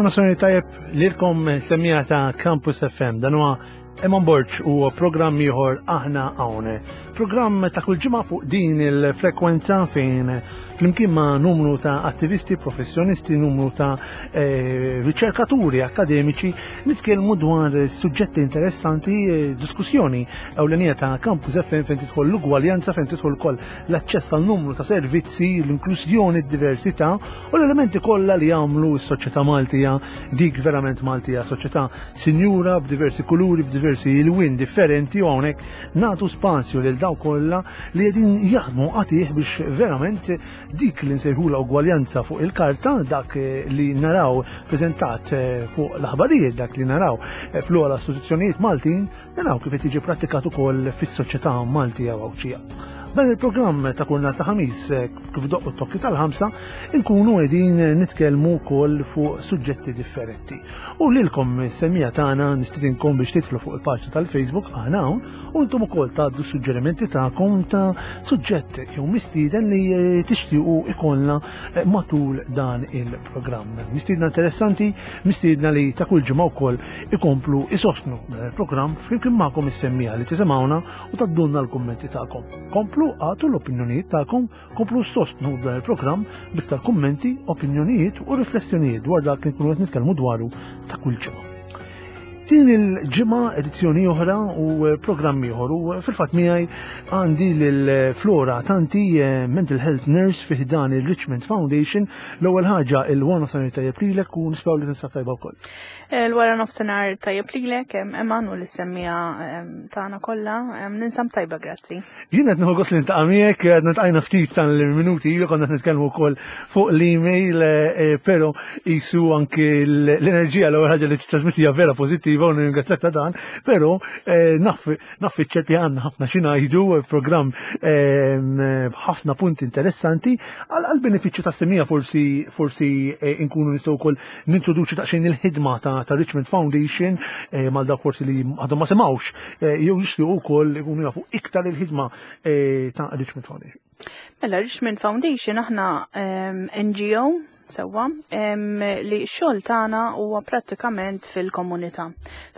nofsinhar tajjeb lilkom semmija ta' Campus FM. Dan huwa Eman Borg u programm ieħor aħna hawn. Programm ta' kull ġimgħa fuq din il-frekwenza fejn flimkien ma' numru ta' attivisti, professjonisti, numru ta' eh, riċerkaturi akademiċi nitkellmu dwar suġġetti interessanti, eh, diskussjoni ewlenija ta' Campus FM fejn tidħol l-ugwaljanza, fejn tidħol ukoll l-aċċess għal numru ta' servizzi, l-inklużjoni, d-diversità u l-elementi kollha li jagħmlu s-soċjetà Maltija dik verament Maltija, soċjetà sinjura b'diversi kuluri, b'diversi ilwien differenti u hawnhekk nagħtu spazju lil dawk kollha li qegħdin jaħdmu qatih biex verament dik li nsejħula ugwaljanza fuq il-karta, dak li naraw preżentat fuq l-aħbarijiet, dak li naraw fl-ogħla istituzzjonijiet Maltin, Naraw kif qed jiġi prattikat ukoll fis-soċjetà Maltija u Għawdxija. Dan il-programm ta' kull nhar ta' ħamis eh, kif doqqu t-tokki tal-ħamsa nkunu qegħdin nitkellmu wkoll fuq suġġetti differenti. U lilkom semmija tagħna nistidinkom biex titlu fuq il-paġna tal-Facebook aħna hawn u intom ukoll tgħaddu suġġerimenti tagħkom ta' suġġett jew mistieden li eh, tixtiequ ikollna eh, matul dan il-programm. Mistiedna interessanti, mistiedna li ta' kull ġimgħa wkoll ikomplu isostnu dan il-programm flimkien magħkom is-semmiegħa li tisimgħuna u taddulna l-kummenti tagħkom. Komplu għatu l-opinjonijiet tagħkom, komplu sostnu dan il-programm biktar kummenti, opinjonijiet u riflessjonijiet dwar dak li nkunu qed nitkellmu dwaru ta' kull ġimgħa. Din il-ġimgħa edizzjoni oħra u programm ieħor u fil-fatt miegħi għandi lil Flora Tanti eh, Mental Health Nurse fi dan il-Richmond Foundation. L-ewwel ħaġa il-wara tajjeb lilek u nisperaw li tinsab tajba wkoll. Il-wara nofsinhar tajjeb lilek, Eman u l-semmija tagħna kollha, ninsam tajba grazzi. Jien qed nieħu gost li ntaqa' miegħek, qed nitqajna ftit tal-minuti ilu konna qed nitkellmu wkoll fuq l-email, eh, eh, però qisu anke l-enerġija l-ewwel ħaġa li titrasmetti hija vera pożittiva u nirringrazzjak ta' dan, però eh, naf naf iċ-ċert li għandna ħafna xi ngħidu, programm b'ħafna punti interessanti għal benefiċċju tas-semija forsi forsi nkunu nistgħu wkoll nintroduċi daqsxejn il-ħidma ta', ta Richmond Foundation eh, mal dawk forsi li għadhom ma semgħux eh, jew jixtiequ wkoll ikunu jafu iktar il-ħidma eh, ta' Richmond Foundation. Mela Richmond Foundation aħna ehm, NGO sewwa ehm, li x-xogħol tagħna huwa prattikament fil-komunità.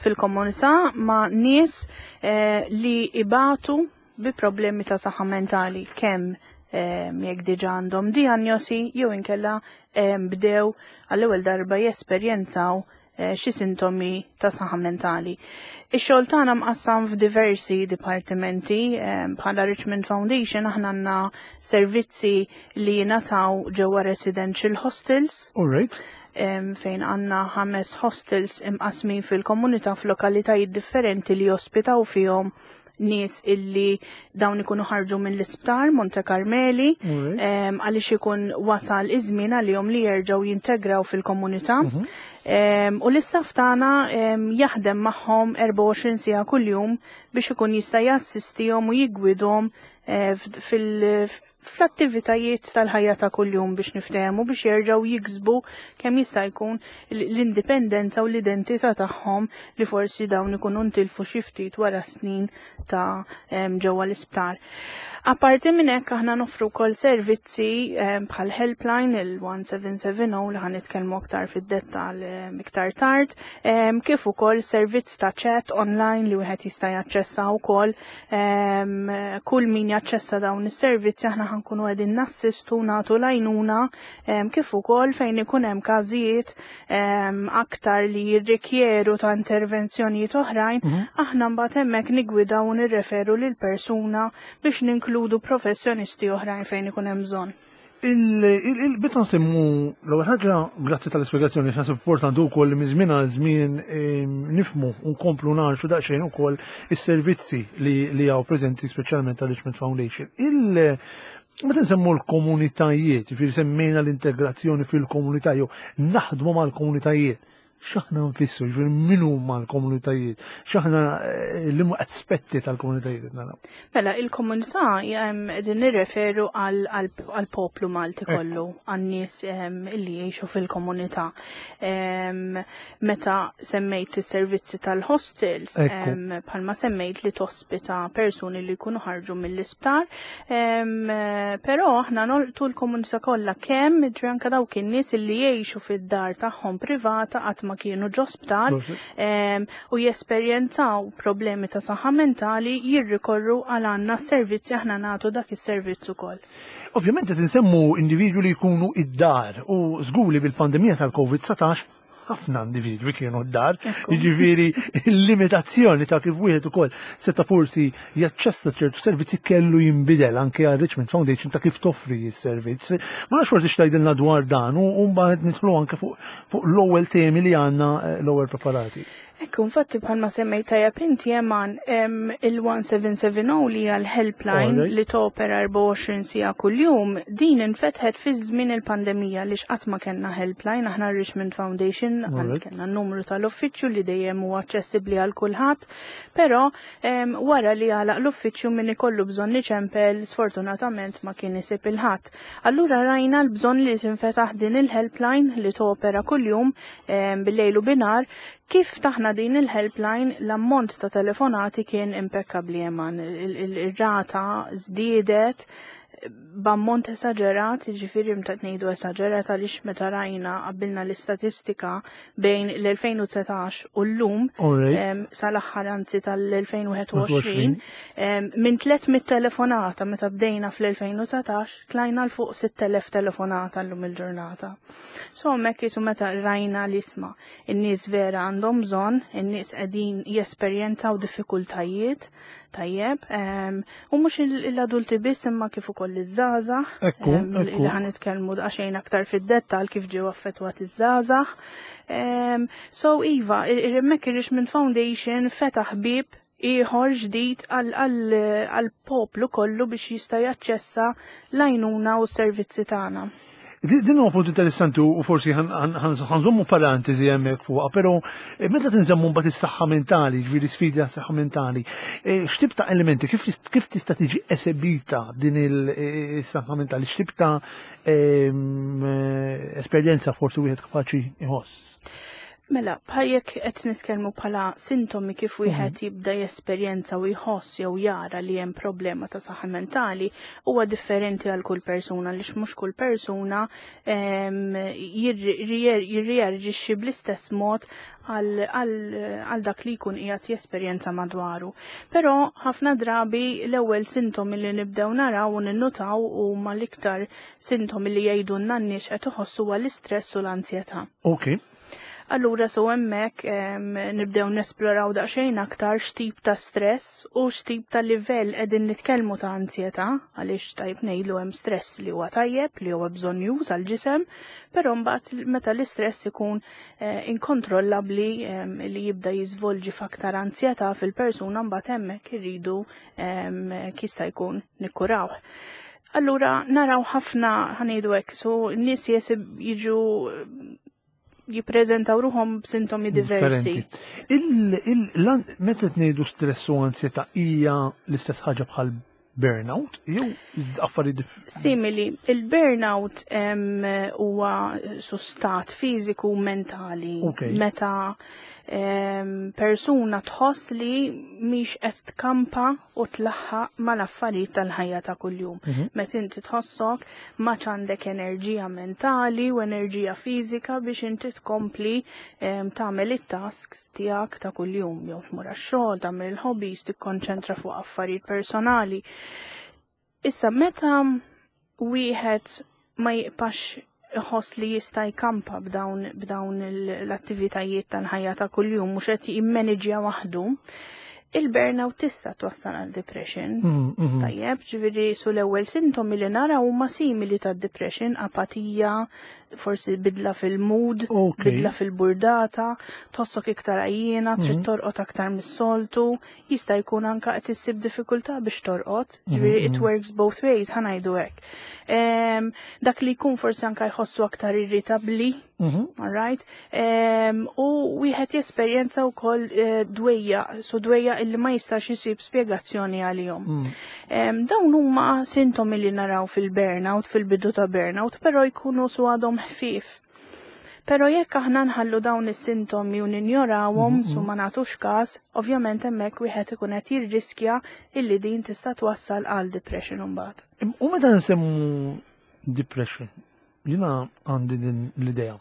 Fil-komunità ma' nies eh, li ibatu bi problemi ta' saħħa mentali kemm ehm, jekk diġà għandhom diagnosi jew inkella ehm, bdew għall-ewwel darba jesperjenzaw eh, xi sintomi ta' saħħa mentali. Ix-xogħol tagħna mqassam f'diversi dipartimenti ehm, bħala Richmond Foundation aħna għandna servizzi li jingħataw ġewwa residential hostels. All right. Fejn għandna ħames hostels imqasmin fil-komunità f'lokalitajiet differenti li jospitaw fihom nies illi dawn ikunu ħarġu mill-isptar Monte Carmeli għaliex ikun wasal iż-żmien għalihom li jerġgħu jintegraw fil-komunità. Mhm. U l-istaff tagħna jaħdem magħhom 24 siegħa kuljum biex ikun jista' jassistihom u jiggwidhom eh, fil fl-attivitajiet tal-ħajja ta' kuljum biex niftehmu biex jerġgħu jiksbu kemm jista' jkun l-indipendenza u l-identità tagħhom li forsi dawn ikunu ntilfu xi ftit wara snin ta' ġewwa l-isptar. Apparti minn hekk aħna noffru wkoll servizzi bħal helpline il-1770 li ħan nitkellmu aktar fid-dettall iktar tard, kif ukoll servizz ta' chat online li wieħed jista' jaċċessa wkoll Kull min jaċċessa dawn is-servizzi aħna ħankunu qegħdin nassistu nagħtu l-għajnuna kif ukoll fejn ikun hemm każijiet aktar li jirrikjeru ta' intervenzjonijiet oħrajn, mhm. aħna mbagħad hemmhekk nigwidaw u nirreferu lil persuna biex ninkludu professjonisti oħrajn fejn ikun hemm bżonn. Il-bitta nsemmu l-ewwel ħaġa, grazzi tal-ispjegazzjoni, x'naħseb importanti wkoll li minn żmien għal żmien ehm, nifmu u nkomplu nagħrxu daqsxejn ukoll is-servizzi li hawn preżenti speċjalment tal-Richmond Foundation. Il Meta nsemmu l-komunitajiet, jiġifieri semmejna l-integrazzjoni fil-komunità jew naħdmu mal-komunitajiet. X'aħna nfissru, ġifieri min huma l-komunitajiet, x'aħna eh, li aspetti tal-komunitajiet qed naraw. Mela, il-komunità qegħdin nirreferu għall-poplu Malti kollu, għan-nies li jgħixu fil-komunità. Meta semmejt is-servizzi tal-hostels, bħalma semmejt li tospita persuni li jkunu ħarġu mill-isptar, però aħna nolqtu l-komunità kollha kemm ġri anke dawk in-nies li jgħixu fid-dar tagħhom privata qatt ma kienu ġo sptar u jesperjenzaw problemi ta' saħħa mentali jirrikorru għal għandna s-servizzi aħna nagħtu dak is-servizz ukoll. Ovvjament qed insemmu individwi li jkunu id-dar u żgur li bil-pandemija tal-COVID-19 ħafna individwi kienu d-dar, jiġifieri l-limitazzjoni ta' kif wieħed ukoll seta' forsi jaċċessa ċertu servizzi kellu jinbidel anke għal Richmond Foundation ta' kif toffri s-servizz. Ma nafx forsi x'tgħidilna dwar dan u mbagħad nidħlu anke fuq l-ewwel temi li għandna eh, l-ewwel preparati. Ekku, infatti bħalma semmejt tajjeb inti Eman, il-1770 li hija l-helpline li topera 24 siegħa kuljum, din infetħet fi żmien il-pandemija li x'qatt ma kellna helpline, aħna Richmond Foundation kellna n-numru tal-uffiċċju li dejjem huwa aċċessibbli għal kulħadd, però wara li għalaq l-uffiċċju min ikollu bżonn iċempel sfortunatament ma kien isib il-ħadd. Allura rajna l-bżonn li tinfetaħ din il-helpline li topera kuljum bil-lejl u binhar. Kif ftaħna din il-helpline, l-ammont ta' telefonati kien impeccabli Eman. Il-rata żdiedet b'ammont esaġerat, jiġifieri meta ngħidu esaġerat għaliex meta rajna qabbilna l-istatistika bejn l-2019 u llum sal-aħħar anzi tal-2021 minn 300 telefonata meta bdejna fl-2019 tlajna l fuq 6000 telefonata llum il-ġurnata. So hemmhekk jisu meta rajna l-isma' in-nies vera għandhom bżonn, in-nies qegħdin jesperjenzaw diffikultajiet, tajjeb, u mhux l-adulti biss imma kif ukoll iż-żgħażagħ, li ħa nitkellmu daqsxejn aktar fid-dettall kif ġew affettwati iż-żgħażagħ. So iva, hemmhekk ir-Richmond Foundation fetaħ bieb ieħor ġdid għall-poplu kollu biex jista' jaċċessa l-għajnuna u s-servizzi tagħna. Din huwa punt interessanti u forsi ħanżommu parentesi hemmhekk fuqha, però eh, meta tinżammu mbagħad is-saħħa mentali, ġifieri sfidi għas-saħħa mentali, eh, x'tip ta' elementi kif tista' tiġi esebita din il-saħħa eh, mentali, x'tip ta' ehm, esperjenza forsi wieħed kapaċi jħoss? Mela, bħal jekk qed nitkellmu bħala sintomi kif wieħed mhm. jibda jesperjenza u jħoss jew jara li hemm problema ta' saħħa mentali, huwa differenti għal kull persuna għaliex mhux kull persuna ehm, jirreaġixxi bl-istess mod għal dak li jkun qiegħed jesperjenza madwaru. Però ħafna drabi l-ewwel sintomi li nibdew naraw u ninnutaw huma l-iktar sintomi li jgħidulna n-nies qed iħossu huwa l-istress u l-anzjetà. Okay. Allura so hemmhekk nibdew nesploraw daqsxejn aktar x'tip ta' stress u x'tip ta' livell qegħdin nitkellmu ta' anzjetà, għaliex tajjeb ngħidlu hemm stress li huwa tajjeb, li huwa bżonnjuż għall-ġisem, però mbagħad meta l-istress ikun eh, inkontrollabbli li jibda jiżvolġi f'aktar anzjetà fil-persuna mbagħad hemmhekk irridu jista' jkun nikkurawh. Allura naraw ħafna ħanejdu hekk, so n-nies jesib jiġu jippreżentaw ruħhom b'sintomi diversi. Meta tnejdu stress u ansjetà hija l-istess ħaġa bħal burnout jew affarijiet Simili, il-burnout huwa sustat fiżiku u mentali. Meta persuna tħoss li mhix qed tkampa u tlaħħaq mal-affarijiet tal-ħajja ta' kuljum. Mhm. Meta inti tħossok ma għandek enerġija mentali u enerġija fiżika biex inti tkompli tagħmel it-tasks tiegħek ta' kuljum, jew tmur għax-xogħol, tagħmel il-hobbies, tikkonċentra fuq affarijiet personali. Issa meta wieħed ma jibqax iħoss li jista' jkampa b'dawn b'dawn l-attivitajiet tal-ħajja ta' kuljum mhux qed jimmaniġja waħdu, il-burnout tista' twassal għal depression. Mm, mm. Tajjeb, ġifieri su l-ewwel sintomi li nara huma simili ta' depression, apatija, forsi bidla fil-mood, bidla fil-burdata, tħossok iktar għajjiena, trid mm. torqod aktar mis-soltu, jista' jkun anka qed issib diffikultà biex torqod, mhm, ġifieri it mhm. works both ways, ħa ngħidu hekk. Dak li jkun forsi anka jħossu aktar irritabbli, All right? U wieħed jesperjenza wkoll eh, dwejja, su dwejja illi ma jistax isib spjegazzjoni għalihom. Dawn huma sintomi li naraw fil-burnout, fil-bidu ta' burnout, però jkunu su għadhom ħfief. Però jekk aħna nħallu dawn is-sintomi u ninjorawhom su ma nagħtux każ, ovvjament hemmhekk wieħed ikun qed jirriskja illi din tista' twassal għal depression imbagħad. U meta nsemmu depression, jiena għandi din l-idea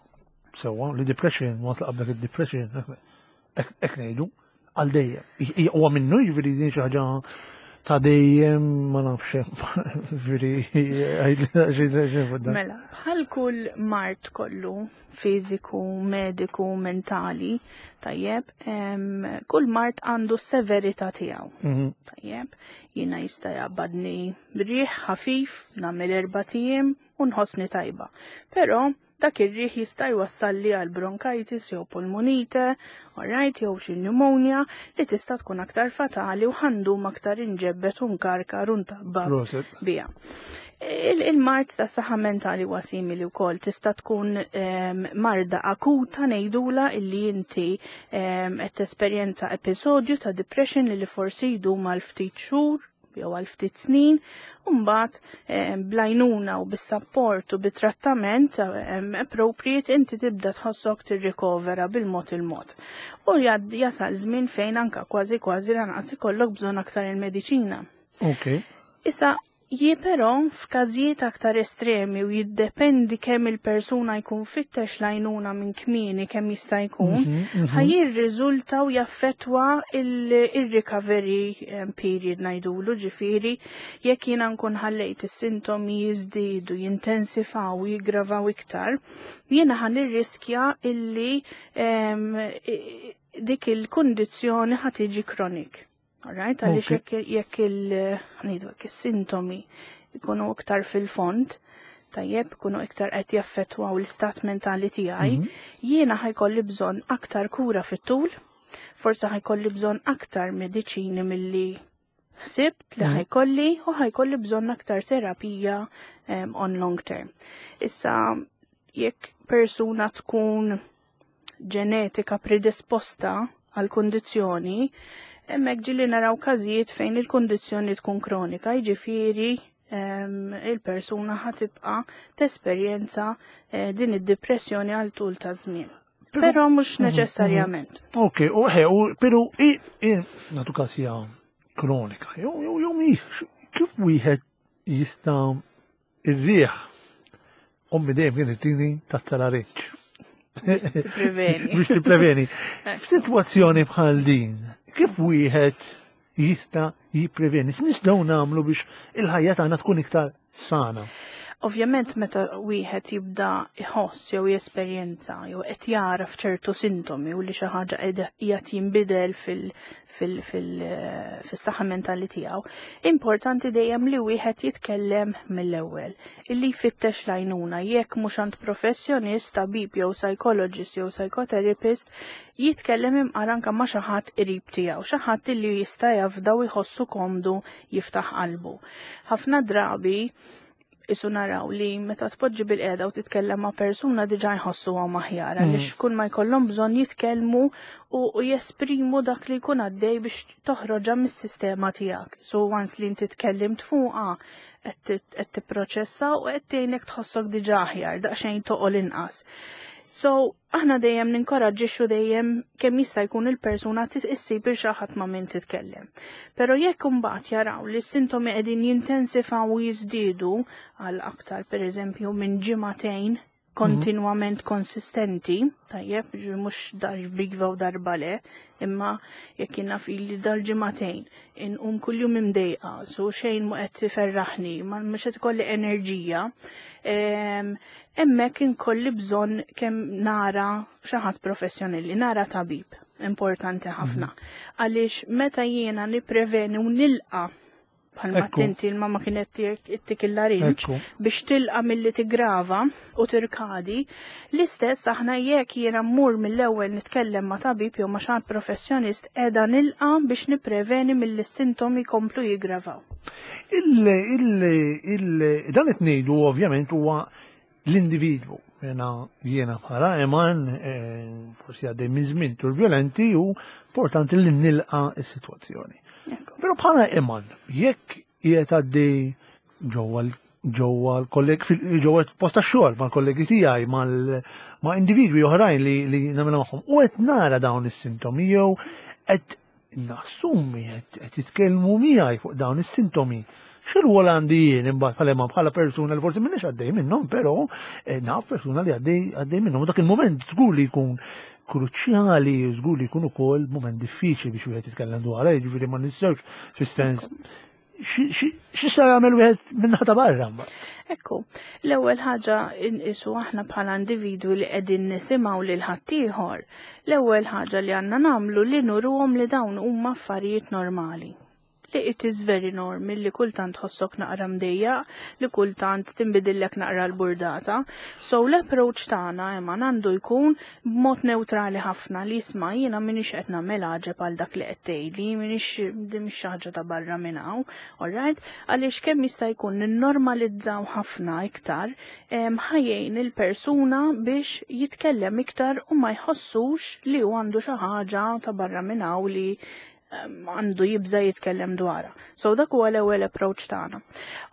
sewwa li depression, waqt li qablek id-depression, hekk ngħidu, għal dejjem. Huwa minnu jiġifieri din xi ħaġa ta' dejjem ma nafx jiġifieri Mela, bħal kull mard kollu fiżiku, mediku, mentali, tajjeb, kull mard għandu s-severità tiegħu. Tajjeb, jiena jista' jaqbadni riħ ħafif, nagħmel erbat ijiem u nħossni tajba. Però dak ir-riħ jista' jwassalli għal bronchitis jew pulmonite, alright, jew xi pneumonia li tista' tkun aktar fatali u ħa ndum aktar inġebbet u nkarkar u ntabba biha. Il-mard ta' saħħa mentali huwa simili wkoll tista' tkun marda akuta ngħidula illi inti qed tesperjenza episodju ta' depression li forsi jdum għal ftit xhur jew għal ftit snin, u mbagħad bl-għajnuna u bis-sapport u bit-trattament appropriate inti tibda tħossok tirrikovera bil-mod il-mod. U jasal żmien fejn anka kważi kważi lanqas ikollok bżonn aktar il-mediċina. Issa, jie però f'każijiet aktar estremi u jiddependi kemm il-persuna jkun fittex l-għajnuna minn kmieni kemm jista' jkun, ħa jirriżulta u jaffettwa il-recovery period ngħidulu, ġifieri jekk jiena nkun ħallejt is-sintomi jiżdiedu, jintensifaw u jiggravaw iktar, jiena ħa nirriskja illi dik il-kundizzjoni ħa tiġi chronic. Alright, għaliex jekk ngħidu hekk is-sintomi jkunu iktar fil-fond, tajjeb, ikunu iktar qed jaffettwaw l-istat mentali tiegħi, jiena ħa jkolli bżonn aktar kura fit-tul, forsi ħa jkolli bżonn aktar mediċini milli ħsibt li ħa jkolli u ħa jkolli bżonn aktar terapija on long term. Issa, jekk persuna tkun ġenetika predisposta għal kundizzjoni, hemmhekk ġieli naraw każijiet fejn il-kundizzjoni tkun kronika, jiġifieri il-persuna ħa tibqa' tesperjenza din id-depressjoni għal tul ta' żmien. Però mhux neċessarjament. Ok, u ħe, u però nagħtu każ hija kronika, jew mhix, kif wieħed jista' ir-riħ ommi dejjem kienet tini tazza larinġ. Tippreveni. Biex tippreveni. F'sitwazzjoni bħal din, kif wieħed jista' jippreveni? X'nistgħu nagħmlu biex il-ħajja tagħna tkun iktar sana? Ovvjament meta wieħed jibda jħoss jew jesperjenza jew qed jara f'ċertu sintomi u li xi ħaġa qiegħed jinbidel fis-saħħa mentali tiegħu, importanti dejjem li wieħed jitkellem mill-ewwel, illi jfittex l-għajnuna jekk mhux għand professjonist, tabib jew psychologist jew psychotherapist, jitkellem imqar anke ma' xi ħadd qrib tiegħu, xi ħadd illi jista' jafda u jħossu komdu jiftaħ qalbu. Ħafna drabi isu naraw li meta tpoġġi bil-qiegħda u titkellem ma' persuna diġà jħossuhom aħjar, għaliex kull ma jkollhom bżonn jitkellmu u jesprimu dak li jkun għaddej biex toħroġha mis-sistema tiegħek. So once li inti tkellimt fuqha, qed tipproċessa u qed tgħinek tħossok diġà aħjar, daqsxejn toqol inqas. So aħna dejjem ninkoraġġixxu dejjem kemm jista' jkun il-persuna issib il xi ħadd ma' min titkellem. Però jekk imbagħad jaraw li s-sintomi qegħdin jintensifaw u jiżdiedu għal aktar pereżempju minn ġimagħtejn kontinwament konsistenti, tajjeb, mhux darba iva u darba le, imma jekk jiena fili dal-ġimagħtejn inqum kuljum imdejqa, so xejn mu qed iferraħni, ma mhux qed ikolli enerġija, hemmhekk inkolli bżonn kemm nara xi ħadd professjonali, nara tabib, importanti ħafna. Għaliex meta jiena nippreveni u nilqa bħalma tinti l-mama kienet ittik il-larinġ biex tilqa milli tigrava u tirkadi, l-istess aħna jekk jiena mmur mill-ewwel nitkellem ma' tabib jew ma' xi ħadd professjonist qiegħda nilqa biex nippreveni milli s-sintomi jkomplu jiggravaw. Dan qed ngħidu ovvjament huwa l-individwu. Jena jiena bħala Eman eh, forsi għaddej minn żmien turbulenti u importanti li nilqa s-sitwazzjoni. Però bħala Eman, jekk qiegħed għaddej ġewwa ġewwa l-kolleg ġewwa post tax-xogħol mal-kollegi tiegħi ma' individwi oħrajn li li nagħmel magħhom u qed nara dawn is-sintomi jew qed nassumi qed jitkellmu miegħi fuq dawn is-sintomi. X'irwol għandi jien imbagħad bħala bħala persuna li forsi m'iniex għaddej minnhom, però eh, naf persuna li għaddej għaddej minnhom. Dak il-mument żgur li jkun kruċjali, żgur li jkun ukoll mument diffiċli biex wieħed jitkellem dwar, jiġifieri ma nistgħux fis-sens x'jista' jagħmel wieħed minnaħa ta' barra mbagħad? Ekku, l-ewwel ħaġa inqisu aħna bħala individwi li qegħdin nisimgħu lil ħaddieħor, l-ewwel ħaġa li għandna nagħmlu li nuruhom li dawn huma affarijiet normali. Li it is very normal li kultant tħossok naqra mdejjaq, li kultant tinbidillek naqra l-burdata. So l-approach tagħna imma għandu jkun b'mod newtrali ħafna li isma' jiena m'iniex qed nagħmel għaġeb għal dak li qed tgħidli, m'iniex din mhix xi ħaġa ta' barra minn hawn, alright? Għaliex kemm jista' jkun ninnormalizzaw ħafna iktar ħa jgħin il-persuna biex jitkellem iktar u ma jħossux li hu għandu xi ħaġa ta' barra minn hawn li għandu jibża jitkellem dwarha. So dak huwa l-ewwel approach tagħna.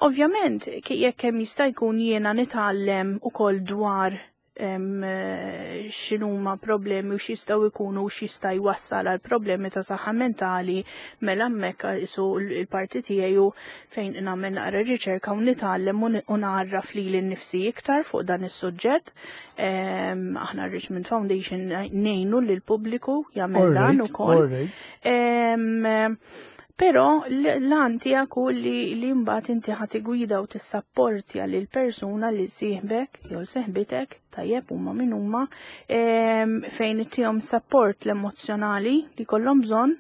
Ovvjament, jekk hemm jista' jkun jiena nitgħallem ukoll dwar x'inhuma problemi u x'jistgħu jkunu u x'jista' jwassal għal problemi ta' saħħa mentali mela hemmhekk isu l-parti tiegħi hu fejn nagħmel naqra riċerka u nitgħallem u nagħraf lili nnifsi iktar fuq dan is-suġġett. Aħna Richmond Foundation ngħinu lill-pubbliku jagħmel dan ukoll. Però l-għan tiegħek hu li li mbagħad inti ħa tigwida u tissapportja lil persuna li sieħbek jew seħbitek tajjeb huma min huma fejn ittihom support l-emozzjonali li kollhom bżonn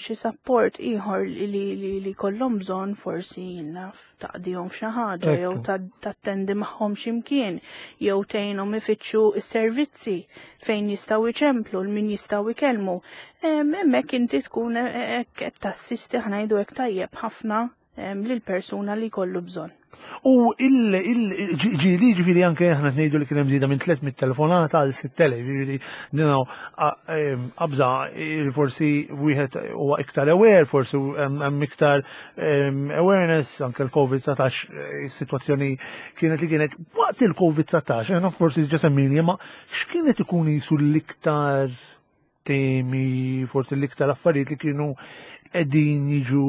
xi support ieħor li li kollhom bżonn forsi naf taqdihom f'xi ħaġa jew tattendi magħhom x'imkien jew tgħinhom ifittxu s-servizzi fejn jistgħu jċemplu l min jistgħu jkellmu. Hemmhekk inti tkun hekk qed tassisti ħa ngħidu hekk tajjeb ħafna lil persuna li jkollu bżonn. U il-ġili ġifiri anke aħna ngħidu li kien hemm żieda minn 300 telefonata għal 6000, ġifieri ninaw qabża forsi wieħed huwa iktar aware, forsi hemm iktar awareness anke l-COVID-19 eh, is-sitwazzjoni kienet li kienet waqt il-COVID-19, eh, forsi ġa semmini, ma x'kienet ikun jisu l-iktar temi, forsi l-iktar affarijiet li kienu qegħdin jiġu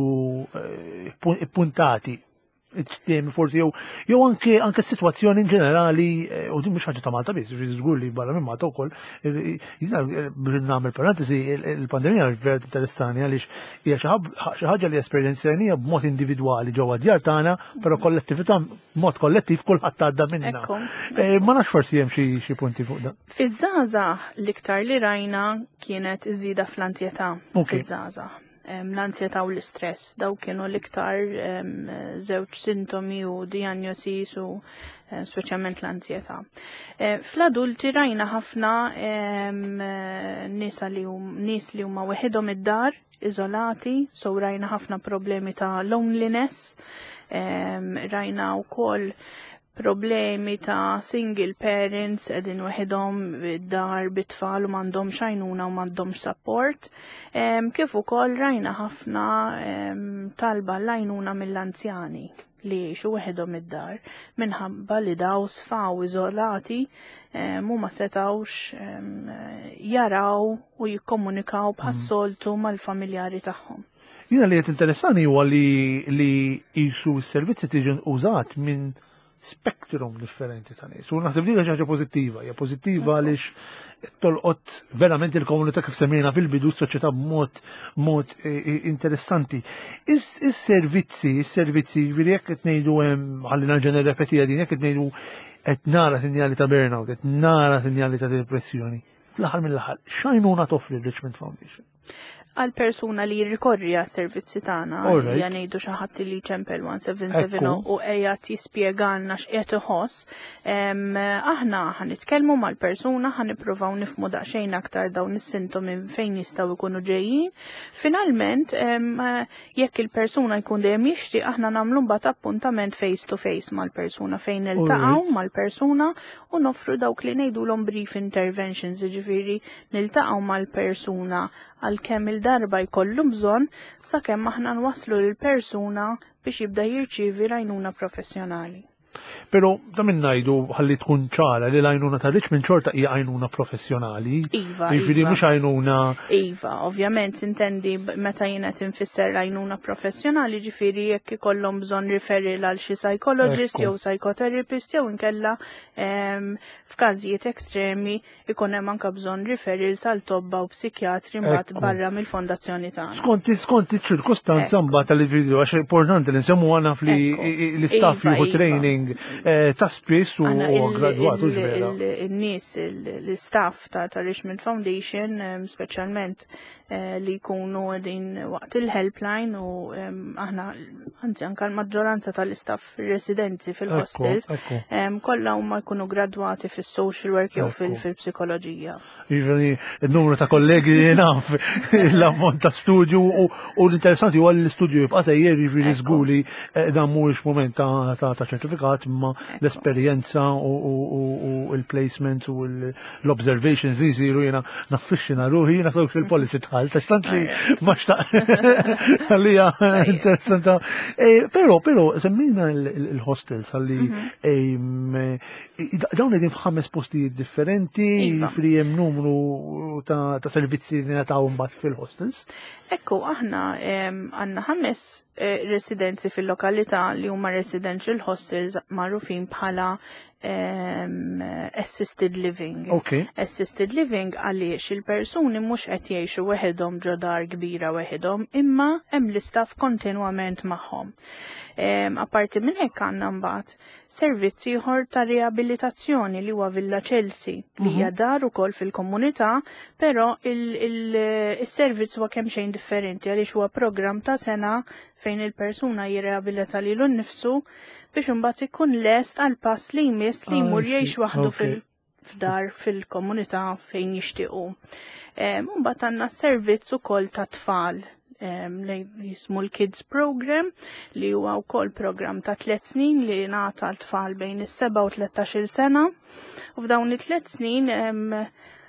eh, puntati temi forsi jew jew anke anke s-sitwazzjoni in ġenerali eh, u din mhux ħaġa ta' Malta biss, żgur li barra minn Malta wkoll eh, jiena eh, biex nagħmel parentesi il-pandemija vera interessani għaliex hija xi ħaġa li esperjenzjanija b'mod individwali ġewwa djar tagħna, però kollettività b'mod kollettiv kulħadd għadda minnha. Ma nafx forsi hemm xi punti fuq dan. Fiż-żgħażagħ l-iktar li rajna kienet iż-żieda fl-anzjetà fiż-żgħażagħ. L-ansjetà u l-istress, daw kienu l-iktar żewġ sintomi u diagnosis u speċjalment l-ansjetà. Fl-adulti rajna ħafna nies li nies li huma weħidhom id-dar, iżolati, so rajna ħafna problemi ta' loneliness, rajna wkoll problemi ta' single parents qegħdin weħidhom id-dar bit-tfal u m'għandhomx għajnuna u m'għandhomx support. Kif ukoll rajna ħafna talba l-għajnuna mill-anzjani li jgħixu weħidhom id-dar minħabba li daw sfaw iżolati u ma setawx jaraw u jikkomunikaw bħas-soltu mal-familjari tagħhom. Jiena li qed interessani huwa li li qisu s-servizzi tiġi użat minn spektrum differenti ta' nies. U naħseb li xi ħaġa pożittiva, hija pożittiva għaliex tolqot verament il-komunità kif semmejna fil-bidu s-soċjetà b'mod mod e, e, interessanti. Is-servizzi, is-servizzi, ġifieri jekk qed ngħidu hemm ħalli nerġa' nirrepetiha din jekk qed ngħidu qed nara sinjali ta' burnout, qed nara sinjali ta' depressjoni. Fl-aħħar mill-aħħar, x'għajnuna toffri Richmond Foundation? Għal persuna li jirrikorri għas servizzi tagħna, ja ngħidu xi ħadd li ċempel 1770 u qiegħed jispjegalna x'qiegħed iħoss, aħna ħa nitkellmu mal-persuna, ħa nippruvaw nifhmu daqsxejn aktar dawn is-sintomi fejn jistgħu jkunu ġejjin. Finalment, jekk il-persuna jkun dejjem jixtieq aħna nagħmlu mbagħad appuntament face to face mal-persuna fejn niltaqgħu mal-persuna u noffru dawk li ngħidulhom brief interventions, jiġifieri niltaqgħu mal-persuna għal kemm il-darba jkollu bżonn sakemm aħna nwasslu lill-persuna biex jibda jirċievi l-għajnuna professjonali. Pero ta' minn ngħidu ħalli tkun ċara li l-għajnuna ta' Richmond xorta hija għajnuna professjonali. Iva. Jiġifieri iva. mhux għajnuna. Iva, ovvjament intendi meta jien qed infisser l-għajnuna professjonali, ġifieri jekk ikollhom bżonn referral għal xi psychologist jew psychotherapist jew inkella f'każijiet ekstremi ikun hemm anke bżonn referrals għal tobba u psikjatri mbagħad barra mill-fondazzjoni tagħna. Skont skont iċ-ċirkustanza mbagħad tal-individwu għax importanti li nsemmu għandna fli l-istaff iva, jieħu iva. training eh, ta' spiss u gradwat u ġvera. In-nies l-istaff ta' Richmond Foundation speċjalment eh, li jkunu qegħdin waqt il-helpline u aħna anzi anke l-maġġoranza tal-istaff residenzi fil-hostels kollha huma jkunu gradwati fis-social work jew fil-psikoloġija. Jiġifieri n-numru ta' kollegi naf l-ammont ta' studju u l-interessanti huwa li l-istudju jibqa' sejjer jiġifieri żgur li eh, dan mhuwiex mument ta' ċertifikat imma l-esperjenza u l-placement u l-observations li jsiru jiena naffixxina ruħi jiena social policy tħalt għax tant li ma xtaq għalija interessanta. Eh, però però semmejna il-hostels għalli mhm. eh, dawn qegħdin f'ħames postijiet differenti, iva. fri hemm numru ta' servizzi li nataw mbagħad fil-hostels. Ekku, aħna għandna ħames eh, residenzi fil-lokalità li huma residential hostels magħrufin bħala um, assisted living. Okay. Assisted living għaliex il-persuni mhux qed jgħixu weħidhom ġo dar kbira weħidhom, imma hemm l-istaff kontinwament magħhom. Um, apparti minn hekk għandna mbagħad servizz ieħor ta' riabilitazzjoni li huwa Villa Chelsea li hija mhm. dar ukoll fil-komunità, però il-servizz huwa kemm xejn differenti għaliex huwa programm ta' sena fejn il-persuna jirreabilita lilu nnifsu biex imbagħad ikun lest għal pass li jmiss li jmur ah, jgħix waħdu fil f'dar fil-komunità fejn jixtiequ. Mbagħad għandna servizz ukoll ta' tfal li jismu l-Kids Program li huwa wkoll program ta' tliet snin li ngħata l-tfal bejn is-7 u 13-il sena. U f'dawn it-tliet snin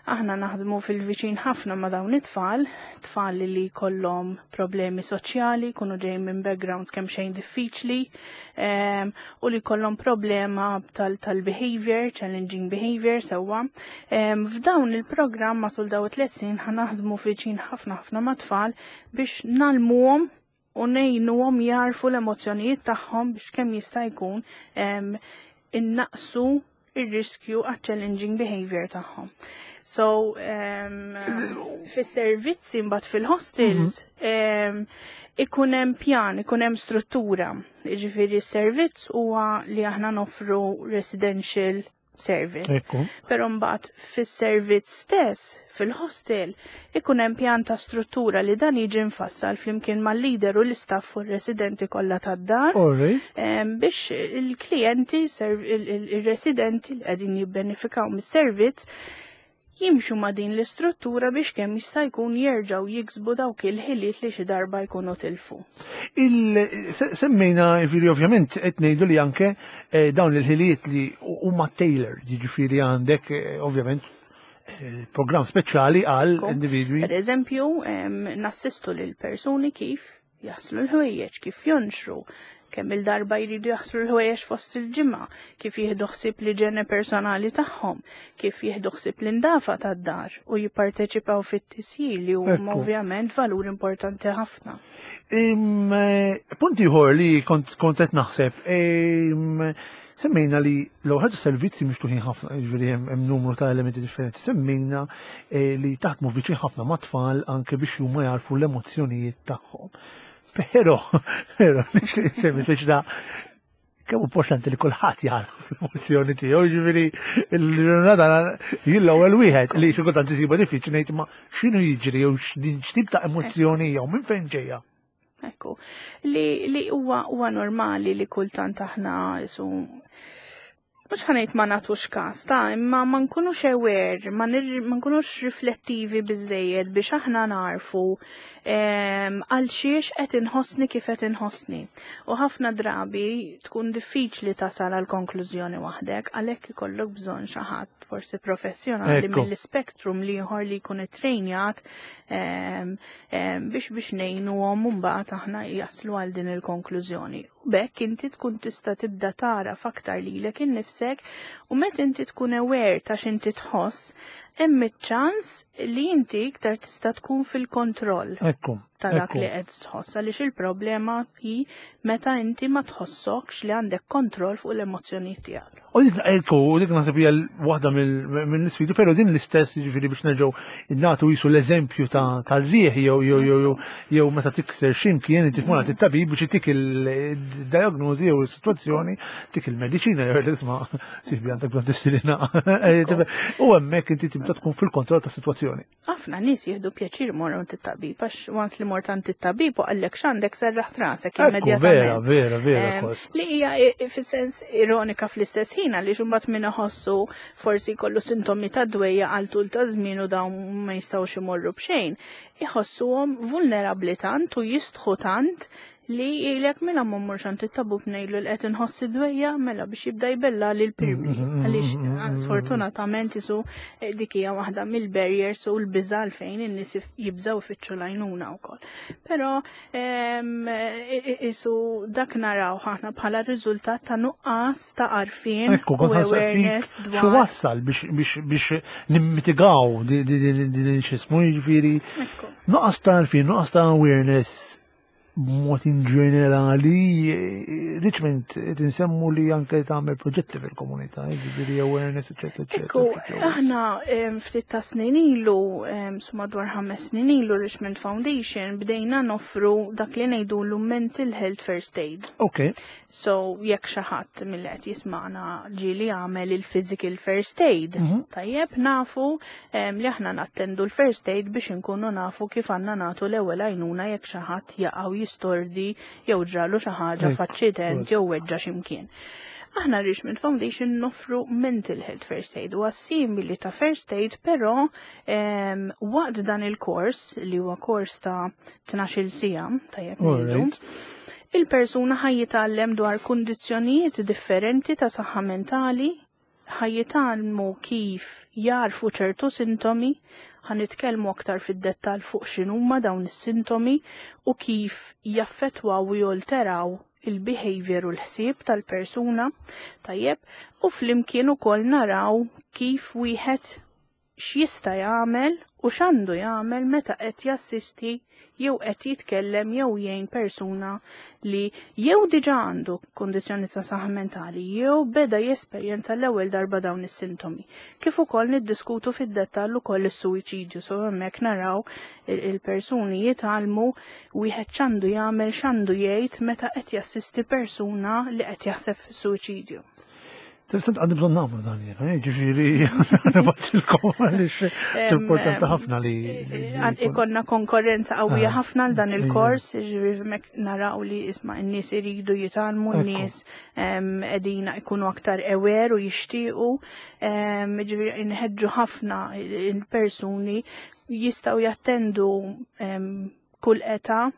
Aħna naħdmu fil-viċin ħafna ma' dawn it-tfal, tfal li jkollhom problemi soċjali, jkunu ġejjin minn backgrounds kemm xejn diffiċli, ehm, u li jkollhom problema tal-behavior, challenging behavior sewwa. Ehm, f'dawn il-programm matul daw it-tliet snin ħa naħdmu viċin ħafna ħafna ma' tfal biex nalmuhom u ngħinuhom jarfu l-emozzjonijiet tagħhom biex kemm jista' jkun ehm, innaqsu ir-riskju għat challenging behavior tagħhom. So, um, fis-servizzi mbagħad fil-hostels mm -hmm. um, ikun hemm pjan, ikun hemm struttura. Jiġifieri s-servizz huwa li aħna noffru residential service. Però mbagħad fis-servizz stess, fil-hostel, ikun hemm pjan ta' struttura li dan jiġi mfassal flimkien mal-leader u l-istaff u r-residenti kollha tad-dar. Biex il-klijenti, il-residenti li qegħdin jibbenefikaw mis-servizz jimxu ma' din l-istruttura biex kemm jista' jkun jerġgħu jiksbu dawk il-ħiliet li xi darba jkunu tilfu. Semmejna, jiġifieri ovvjament qed ngħidu li anke eh, dawn il-ħiliet li huma tailored, jiġifieri għandek eh, ovvjament eh, program speċjali għal individwi. Per eżempju, nassistu lil persuni kif jaħslu l-ħwejjeġ, kif jonxru, kemm il-darba jridu jaħslu l-ħwejjeġ fost il-ġimgħa, kif jieħdu ħsieb l-iġene personali tagħhom, kif jieħdu ħsieb l-indafa tad-dar u jipparteċipaw fit-tisjir li huma ovvjament valur importanti ħafna. Eh, punt ieħor li kont qed naħseb, semmejna li l-ewwel servizzi miftuħin ħafna, jiġifieri hemm numru ta' elementi differenti, semmejna eh, li taħdmu viċin ħafna mat-tfal anke biex huma jarfu l-emozzjonijiet tagħhom. Però, però, nixtieq insemmi da. Kemm importanti li kulħadd jagħraf l-emozzjoni tiegħu, jiġifieri l-ġurnata jien l-ewwel wieħed li xi kultant isibha diffiċli ngħid ma x'inhu jiġri jew x'din x'tip ta' emozzjoni jew minn fejn ġejja. Ekku, li huwa huwa normali li kultant aħna isu mhux ħanejt ma nagħtux każ ta' imma ma nkunux aware, ma nkunux riflettivi biżejjed biex aħna narfu għal xiex qed inħossni kif qed inħossni. U ħafna drabi tkun diffiċli tasal għal konklużjoni waħdek, għalhekk ikollok bżonn xi ħadd forsi professjonali mill-ispektrum l-ieħor li jkun ittrejnjat biex biex ngħinuhom mbagħad aħna jaslu għal din il-konklużjoni. U b'hekk inti tkun tista' tibda tagħraf aktar lilek innifsek u meta inti tkun aware ta' x'inti tħoss, hemm iċ-ċans li inti iktar tista' tkun fil-kontroll ta' dak li qed tħoss għaliex il-problema hi meta inti ma tħossokx li għandek kontroll fuq l-emozzjonijiet tiegħek. U dik ekku, u dik naħseb hija waħda mill-isfidi, però din l-istess jiġifieri biex nerġgħu nagħtu jisu l-eżempju tar-riħ jew jew jew jew meta tikser x'imkien inti tmur għand it-tabib biex itik il-diagnosi jew is-sitwazzjoni, tik il-mediċina jew l-isma' sibi għandek bżonn tistilina. U hemmhekk inti tibda tkun fil-kontroll tas-sitwazzjoni. Ħafna nies jieħdu pjaċir imorru għand it-tabib għax once li mort għand it-tabib u qallek x'għandek serraħt rasek immedjatament. Vera, vera, vera. Li hija fis-sens ironika fl-istess ħin għaliex imbagħad min iħossu forsi jkollu sintomi ta' dwejja għal tul ta' żmien u dawn ma jistgħux imorru b'xejn, iħossuhom vulnerabbli tant u jistħu tant Li jgħidlek mela ma mmurx għand it-tabub ngħidlu li qed inħoss id-dwejja mela biex jibda jbella lil pirmi. Mm-hmm. Għaliex mm-hmm. ah, sfortunatament isu eh, dik hija waħda mill-barriers u l-biża' għalfejn in-nies jibżgħu ifittxu l-għajnuna wkoll. Però ehm, isu dak naraw aħna bħala riżultat ta' nuqqas ta' għarfien u awareness dwar. Xi wassal biex nimmitigaw din x'ismu jiġifieri. Nuqqas ta' għarfien, nuqqas ta' awareness b'mod in ġenerali, Richmond qed insemmu li anke tagħmel proġetti fil-komunità, jiġifieri awareness, eċetera, eċetera. Ekku, aħna ftit ta' snin ilu, su madwar ħames snin ilu Richmond Foundation bdejna noffru dak li ngħidulu mental health first aid. Ok. So jekk xi ħadd milli qed jisma'na ġieli għamel il-physical first aid, mhm. tajjeb nafu li aħna nattendu l-first aid biex inkunu nafu kif għandna nagħtu l-ewwel għajnuna jekk xi ħadd jaqgħu jistordi jew ġralu xi ħaġa f'aċċident jew weġġa' x'imkien. Aħna Richmond Foundation noffru mental health first aid u simili ta' first aid, però waqt dan il-kors li huwa kors ta' 12 sija, tajjeb ngħidu, Il-persuna ħa jitgħallem dwar kundizzjonijiet differenti ta' saħħa mentali, ħa jitgħallmu kif jagħrfu ċertu sintomi, ħa nitkellmu aktar fid-dettall fuq x'inhuma dawn is-sintomi u kif jaffettwaw u jolteraw il-behavior u l-ħsieb tal-persuna, tajjeb, u flimkien ukoll naraw kif wieħed x'jista' jagħmel u x'għandu jagħmel meta qed jassisti jew qed jitkellem jew jgħin persuna li jew diġà għandu kundizzjoni ta' saħħa mentali jew beda jesperjenza l-ewwel darba dawn is-sintomi. Kif ukoll niddiskutu fid-dettall ukoll is-suwiċidju, so hemmhekk naraw il-persuni jitgħallmu wieħed x'għandu jagħmel x'għandu jgħid meta qed jassisti persuna li qed jaħseb fis-suwiċidju. Interessant għandi bżonn nagħmlu dan jiena, eh, ġifieri nibgħatilkom għaliex importanti ħafna li. Ikonna konkurrenza qawwija ah, ħafna għal dan il-kors, ġifieri mek naraw li isma' n-nies iridu jitgħallmu, n-nies qegħdin ikunu aktar aware u jixtiequ, ġifieri nħeġġu ħafna il-persuni jistgħu jattendu kull età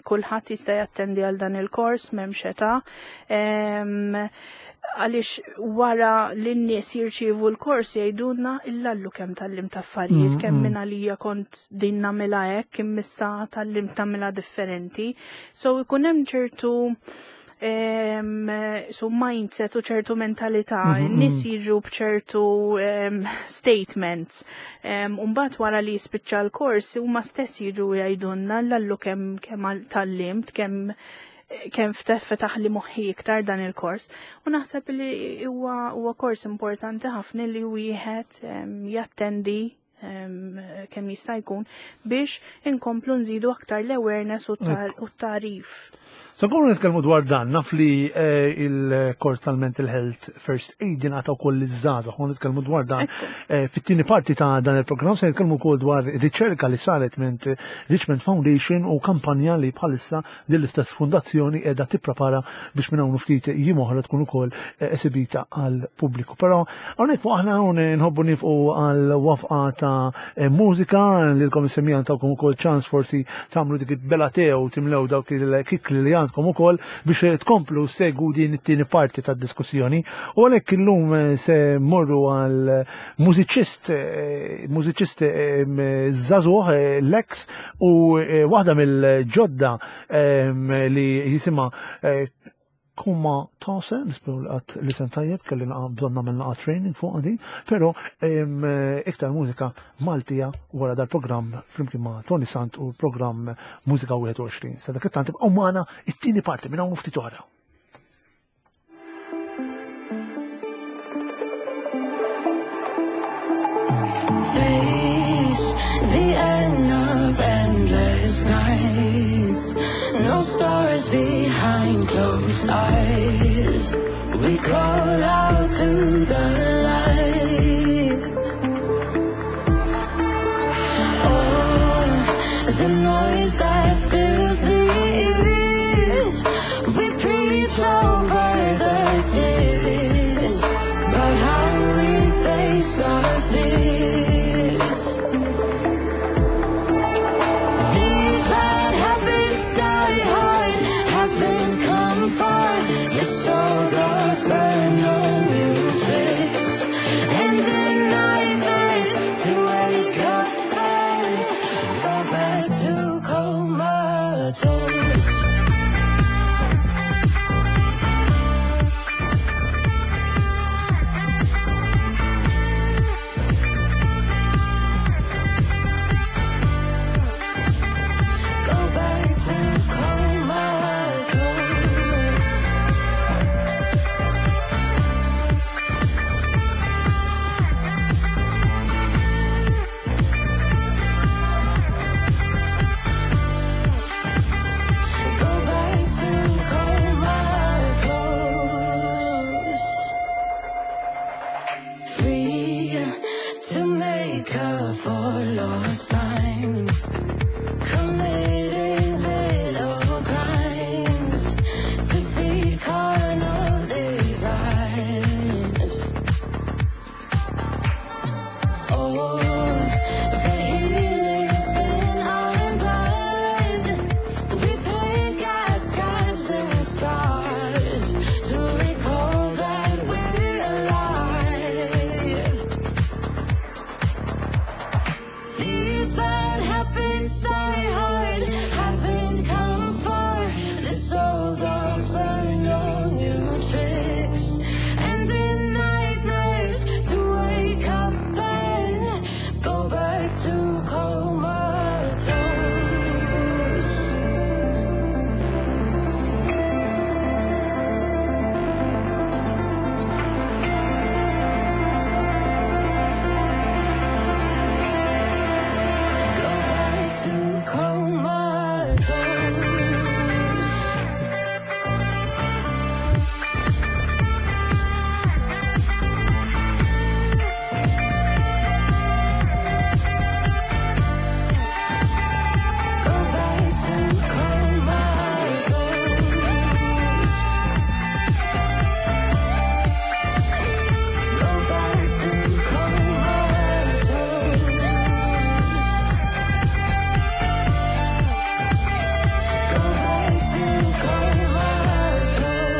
Kulħadd jista' jattendi għal dan il-kors m'hemmx età. Għaliex wara li n-nies jirċievu l-kors jgħidulna illallu kemm tgħallimt affarijiet, kemm minn għalija kont din nagħmilha hekk imma issa tgħallimt nagħmilha differenti. So ikun hemm ċertu su mindset u ċertu mentalità, mm-hmm. nis jiġu bċertu statements. Umbat wara li jispiċċa l-kors, huma stess jiġu jgħidulna l-allu kemm kemm tgħallimt, kemm kemm fetaħ li moħħi iktar dan il-kors. U naħseb li huwa kors importanti ħafna li wieħed jattendi kemm jista' jkun biex inkomplu nżidu aktar l-awareness u t-tagħrif. Se nkunu nitkellmu dwar dan, naf li eh, il-kors tal-Mental Health First Aid jingħata wkoll liż-żgħażagħ, u nitkellmu dwar dan eh, fit-tieni parti ta' dan il-programm se nitkellmu wkoll dwar riċerka li saret minn Richmond Foundation u kampanja li bħalissa din l-istess fundazzjoni qiegħda tipprepara biex minn hawn ftit jiem oħra tkun ukoll eh, esibita għal pubbliku. Però hawnhekk fuq aħna hawn nħobbu nifqu għal wafqa ta' eh, mużika lilkom is-semija tawkom ukoll ċans forsi tagħmlu dik il-bela tew timlew dawk il-kikli li għandkom ukoll biex tkomplu segu din it-tieni parti tad-diskussjoni. U għalhekk illum eh, se morru għal mużiċist mużiċist żagħżugħ Lex u waħda mill-ġodda li jisimha Kuma tase, nisperu li qatt li sen tajjeb, kelli naqa bżonn nagħmel naqa training fuq din, però iktar mużika Maltija wara dal-programm flimkien ma' Tony Sant u l-programm Mużika 21. Sa dak it-tant ibqgħu magħna it-tieni parti minn hawn ftit oħra. Face the end of endless nights. No stars behind closed eyes. We call out to the light. Oh, the noise that fills the ears. We preach over the tears about how we face our fears. These bad habits die hard, haven't come far. The soul dogs learn no new tricks. And in nightmares to wake up and go back to comatose. Go back to comatose. Go back to comatose. Free to make up for lost time. Committing little crimes to feed carnal desires. Oh, the healing's been undone. We pick at scabs and scars to recall that we're alive. These bad habits die hard, haven't come far. The soul dogs learn no new tricks. And in nightmares to wake up and go back to comatose. Go back to comatose. Go back to comatose. Go back to comatose. Go back to comatose.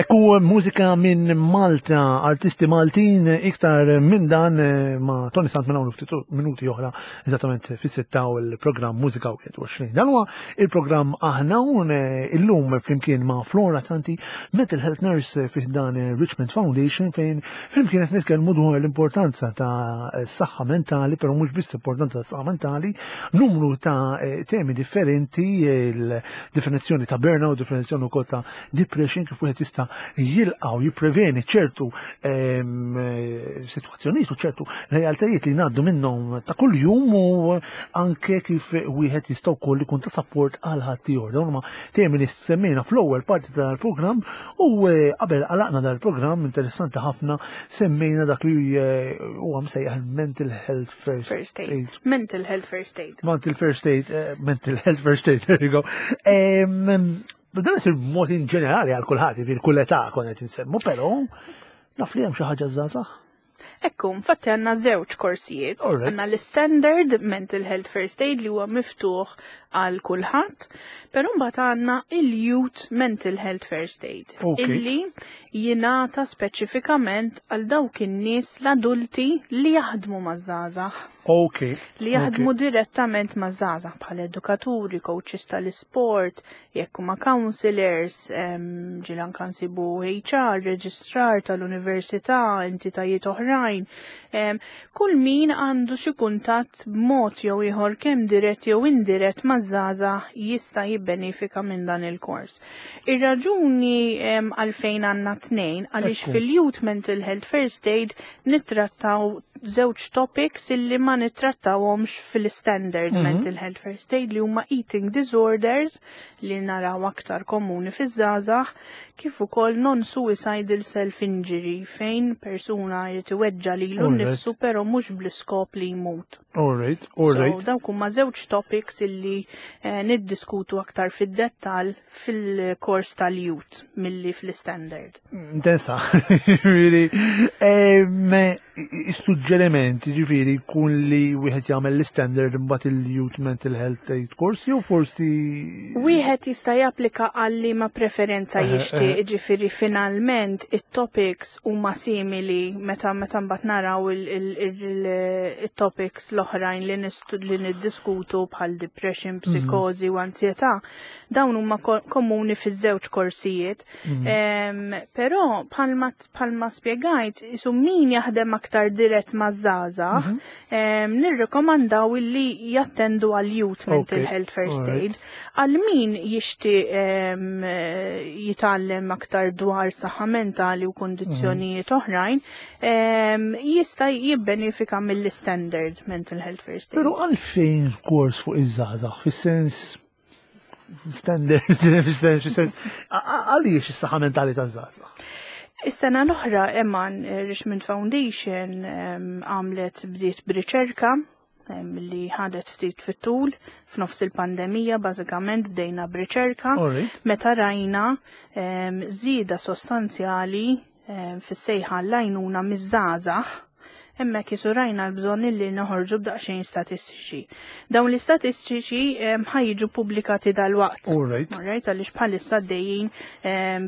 Ekku mużika minn Malta, artisti Maltin, iktar minn dan eh, ma' Tony Sant minn hawn ftit minuti oħra, eżattament fis-sitta u l-programm Mużika 21. Dan huwa il-programm aħna hawn eh, illum flimkien ma' Flora Tanti, Mental Health Nurse fi dan Richmond Foundation fejn flimkien qed nitkellmu dwar l-importanza ta' saħħa mentali, però mhux biss importanza ta' saħħa mentali, numru ta' eh, temi differenti, il-definizzjoni ta' burnout, definizzjoni wkoll ta' depression, kif wieħed jista' jilqa' u jippreveni ċertu sitwazzjonijiet u ċertu realtajiet li ngħaddu minnhom ta' kuljum u anke kif wieħed jista' wkoll ikun ta' support għal ħaddieħor. Dawn huma temi li semmejna fl-ewwel parti tal-programm u eh, qabel għalaqna dal-programm interessanti ħafna semmejna dak li eh, huwa msejjaħ mental health first, first aid. aid. Mental health first aid. Mental first aid, eh, mental health first aid, there you go. Dan isir b'mod in ġenerali għal kulħadd, jiġifieri kull età konna qed insemmu, però naf li hemm xi ħaġa żgħażagħ. Ekku, infatti għanna żewġ korsijiet. Għanna l-Standard Mental Health First Aid li huwa miftuħ għal kulħadd, però mbagħad għandna il-Youth Mental Health First Aid illi jingħata speċifikament għal dawk in-nies l-adulti li jaħdmu maż-żgħażagħ. Okay. Li jaħdmu direttament ma' żgħażagħ bħal edukaturi, coaches tal-isport, jekk huma counselors, ġieli anke nsibu HR, reġistrar tal-università, entitajiet oħrajn. Kull min għandu xi kuntatt b'mod jew ieħor kemm dirett jew indirett maż-żgħażagħ jista' jibbenefika minn dan il-kors. Ir-raġuni għalfejn għandna tnejn għaliex fil-Youth Mental Health First Aid nittrattaw żewġ topics illi ma nittrattawhomx fil-standard mental health first aid li huma eating disorders li naraw aktar komuni fiż-żgħażagħ kif ukoll non-suicidal self-injury fejn persuna jrid iweġġa' lilu nnifsu però mhux bl-iskop li jmut. Alright, alright. So, dawk huma żewġ topics illi eh, niddiskutu aktar fid-dettall fil-kors tal-youth milli fl-standard. Intensa, ġifieri, is-suġġeriment ġifieri jkun li wieħed jagħmel l-standard imbagħad il-youth mental health aid course jew forsi Wieħed jista' japplika għal liema preferenza jixtieq, ġifieri finalment it-topics huma simili meta meta mbagħad naraw il-topics l-oħrajn li li niddiskutu bħal depression, psikożi u anzjetà. Dawn huma komuni fiż-żewġ korsijiet. Però bħalma bħalma spjegajt, isu min jaħdem aktar dirett maż-żgħażagħ, nirrekomandaw illi jattendu għal Youth Mental Health First Aid. Għal min jixtieq jitgħallem aktar dwar saħħa mentali u kundizzjonijiet oħrajn, jista' jibbenefika mill-standard Mental Health First Aid. Però għalfejn kors fuq iż-żgħażagħ, fis-sens standard, fis-sens, fis-sens, għaliex is-saħħa mentali taż-żgħażagħ? Is-sena l-oħra Eman eh, Richmond Foundation għamlet bdiet b'riċerka li ħadet ftit fit-tul f'nofs il-pandemija bażikament bdejna b'riċerka meta rajna żieda sostanzjali fis-sejħa għall-għajnuna miż-żgħażagħ, hemmhekk isu rajna l-bżonn li noħorġu b'daqsxejn statistiċi. Dawn l-istatistiċi ħa jiġu pubblikati dalwaqt. Alright. Alright, għaliex bħalissa għaddejjin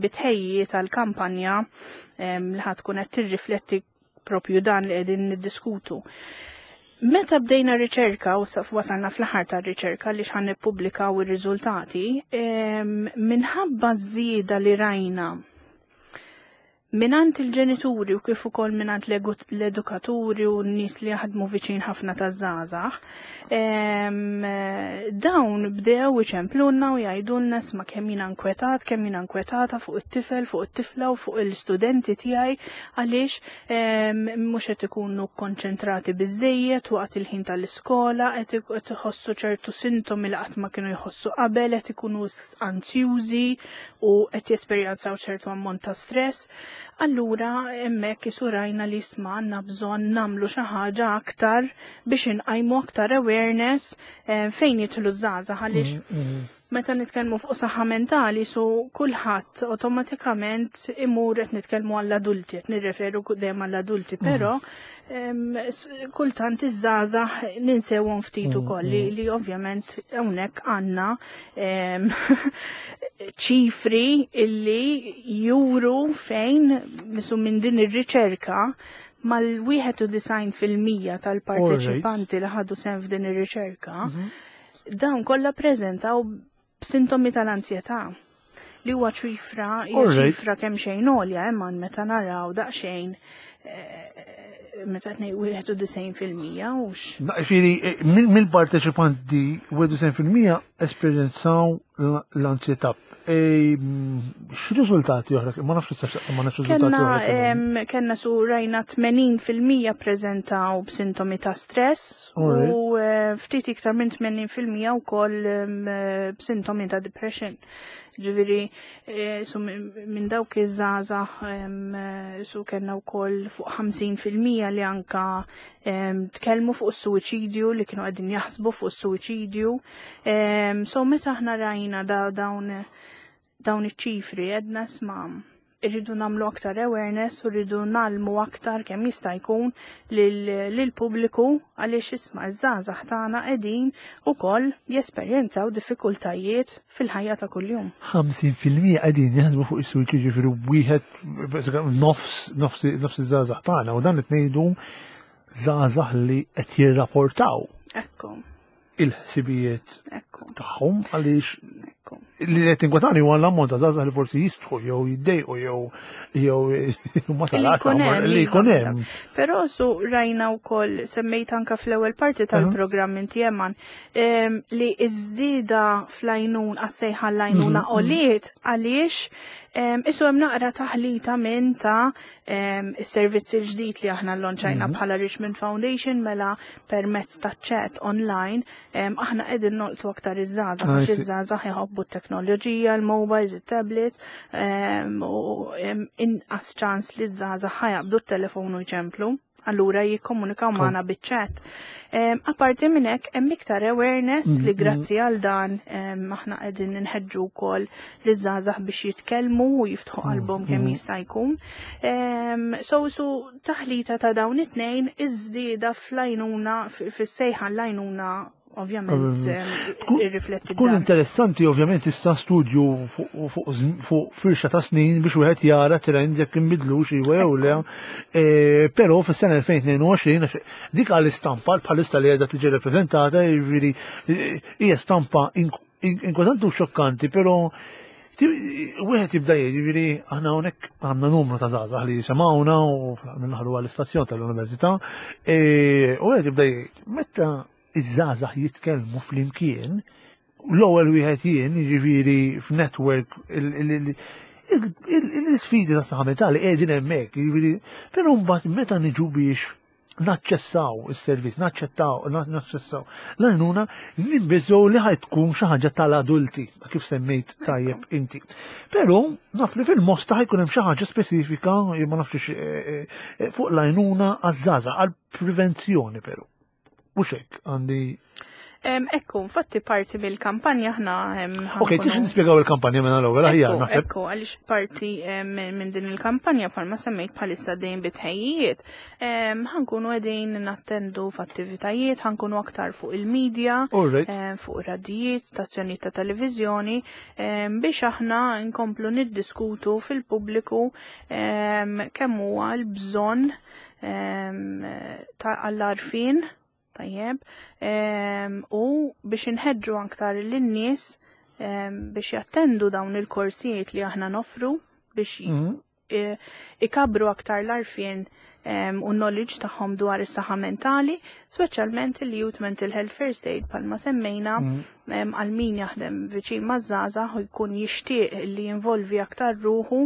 bitħejjiet tal-kampanja li ħa tkun qed tirrifletti propju dan li qegħdin niddiskutu. Meta bdejna riċerka u saf wasalna fl-aħħar tar-riċerka li x'ħan nippubblikaw ir-riżultati, minħabba żieda li rajna Mingħand il-ġenituri u kif ukoll mingħand l-edukaturi u n-nies li jaħdmu viċin ħafna taż-żgħażagħ, dawn bdew iċemplulna u jgħidulna isma' kemm jiena nkwetat, kemm jiena nkwetata fuq it-tifel, fuq it-tifla u fuq il-studenti tiegħi għaliex mhux qed ikunu kkonċentrati biżejjed waqt il-ħin tal-iskola, qed iħossu ċertu sintomi li qatt ma kienu jħossu qabel, qed ikunu anzjużi u qed jesperjenzaw ċertu ammont ta' stress, allura hemmhekk isu rajna li isma' għandna bżonn nagħmlu xi ħaġa aktar biex inqajmu aktar awareness eh, fejn jidħlu żgħażagħ għaliex mm, mm. meta nitkellmu fuq saħħa mentali su kulħadd awtomatikament imur qed nitkellmu għall-adulti, qed nirreferu dejjem għall-adulti, mm. però kultant iż-żgħażagħ ninsewhom ftit mm, ukoll li, mm. li ovvjament hawnhekk għandna ċifri illi juru fejn misu minn din ir-riċerka mal-91% tal-parteċipanti li ħadu sehem f'din ir-riċerka mhm. dawn kollha preżentaw b'sintomi tal-anzjetà li huwa ċifra hija ċifra kemm xejn għolja imma meta naraw daqsxejn eh, meta tnej 91% hux. Ġifieri eh, mill-parteċipanti 91% esperjenzaw l-anzjetà. X'riżultati oħra, ma nafx issa ma nafx riżultati oħra. Kenna su rajna 80% preżentaw b'sintomi ta' stress u eh, ftit iktar minn 80% wkoll eh, b'sintomi ta' depression. Ġifieri eh, su minn dawk iż-żgħażagħ su kellna wkoll fuq 50% li anka tkellmu fuq is-suwiċidju li kienu qegħdin jaħsbu fuq is-suwiċidju. So meta aħna rajna da dawn dawn iċ-ċifri għedna isma' irridu nagħmlu aktar awareness u rridu nagħlmu aktar kemm jista' jkun lill-pubbliku għaliex isma' iż-żgħażagħ tagħna qegħdin ukoll jesperjenzaw diffikultajiet fil-ħajja ta' kuljum. 50% qegħdin jaħdmu fuq is-suwiċidju jiġifieri wieħed nofs nofs nofs iż-żgħażagħ tagħna u dan qed ngħidu żgħażagħ li qed jirrapportaw. Ekku. il-ħsibijiet tagħhom għaliex li qed tinkwetani huwa l-ammont ta' żgħażagħ li forsi jistħu jew jiddejqu jew jew ma tarax li jkun hemm. Però su rajna wkoll semmejt anka fl-ewwel parti tal-programm inti Eman li iż-żieda fl-għajnun għas-sejħa l-għajnuna mhm, għoliet għaliex isu hemm naqra taħlita minn ta' is-servizz il-ġdid li aħna llonċajna mhm. bħala Richmond Foundation mela permezz ta' chat online aħna qegħdin nolqtu aktar iż-żgħażagħ ah, għax iż-żgħażagħ iħobbu t-teknoloġija, l-mobiles, it-tablets u inqas ċans li ż-żgħażagħ ħajaqbdu t-telefon u jċemplu allura jikkomunikaw magħna biċ-chat. Apparti minn hekk hemm iktar awareness li mm-hmm. grazzi għal dan aħna qegħdin inħeġġu wkoll liż-żgħażagħ biex jitkellmu u jiftħu mm-hmm. qalbhom kemm jista' jkun. So su taħlita ta' dawn it-tnejn iż-żieda fl-għajnuna fis-sejħa l-għajnuna ovvjament irrifletti. Tkun interessanti ovvjament issa studju fuq firxa ta' snin biex wieħed jara trends jekk inbidlux iwa jew le. E, però fis-sena 2022 dik għal istampa bħalissa li qiegħda tiġi rappreżentata jiġifieri e, hija stampa inkwetanti u xokkanti, però wieħed jibda jiġifieri aħna hawnhekk għandna numru ta' żgħażagħ li jisimgħuna u minnaħlu għall-istazzjon tal-università, e, u wieħed jibda jgħid meta iż-żgħażagħ jitkellmu flimkien, l-ewwel wieħed jien, jiġifieri f'network l-isfidi ta' saħħa mentali qegħdin hemmhekk, jiġifieri, però mbagħad meta niġu biex naċċessaw is-servizz, naċċettaw, naċċessaw l-għajnuna, nibbiżgħu li ħaj tkun xi ħaġa tal-adulti, kif semmejt tajjeb inti. Però naf li fil-mosta ħajkun hemm xi ħaġa speċifika, ma nafx eh, eh, eh, fuq l-għajnuna għaż-żgħażagħ għall-prevenzjoni però. Mhux hekk għandi Ekku, infatti parti mill-kampanja ħna. Ok, tix nispjegaw il-kampanja minn l-ewwel aħjar naħseb. Ekku, għaliex parti minn din il-kampanja bħalma semmejt bħalissa dejjem bitħejjiet, ħankunu qegħdin nattendu f'attivitajiet, ħankunu aktar fuq il-medja, fuq radijiet, stazzjonijiet ta' televiżjoni, biex aħna nkomplu niddiskutu fil-pubbliku kemm huwa l-bżonn ta' għall-arfin tajjeb u biex inħeġġu aktar lin-nies biex jattendu dawn il-korsijiet li aħna nofru biex mhm. ikabru aktar l-arfin u knowledge tagħhom dwar is-saħħa mentali, speċjalment il-Youth Mental Health First Aid palma semmejna mhm. għal min jaħdem viċin maż-żgħażagħ u jkun jixtieq li jinvolvi aktar ruħu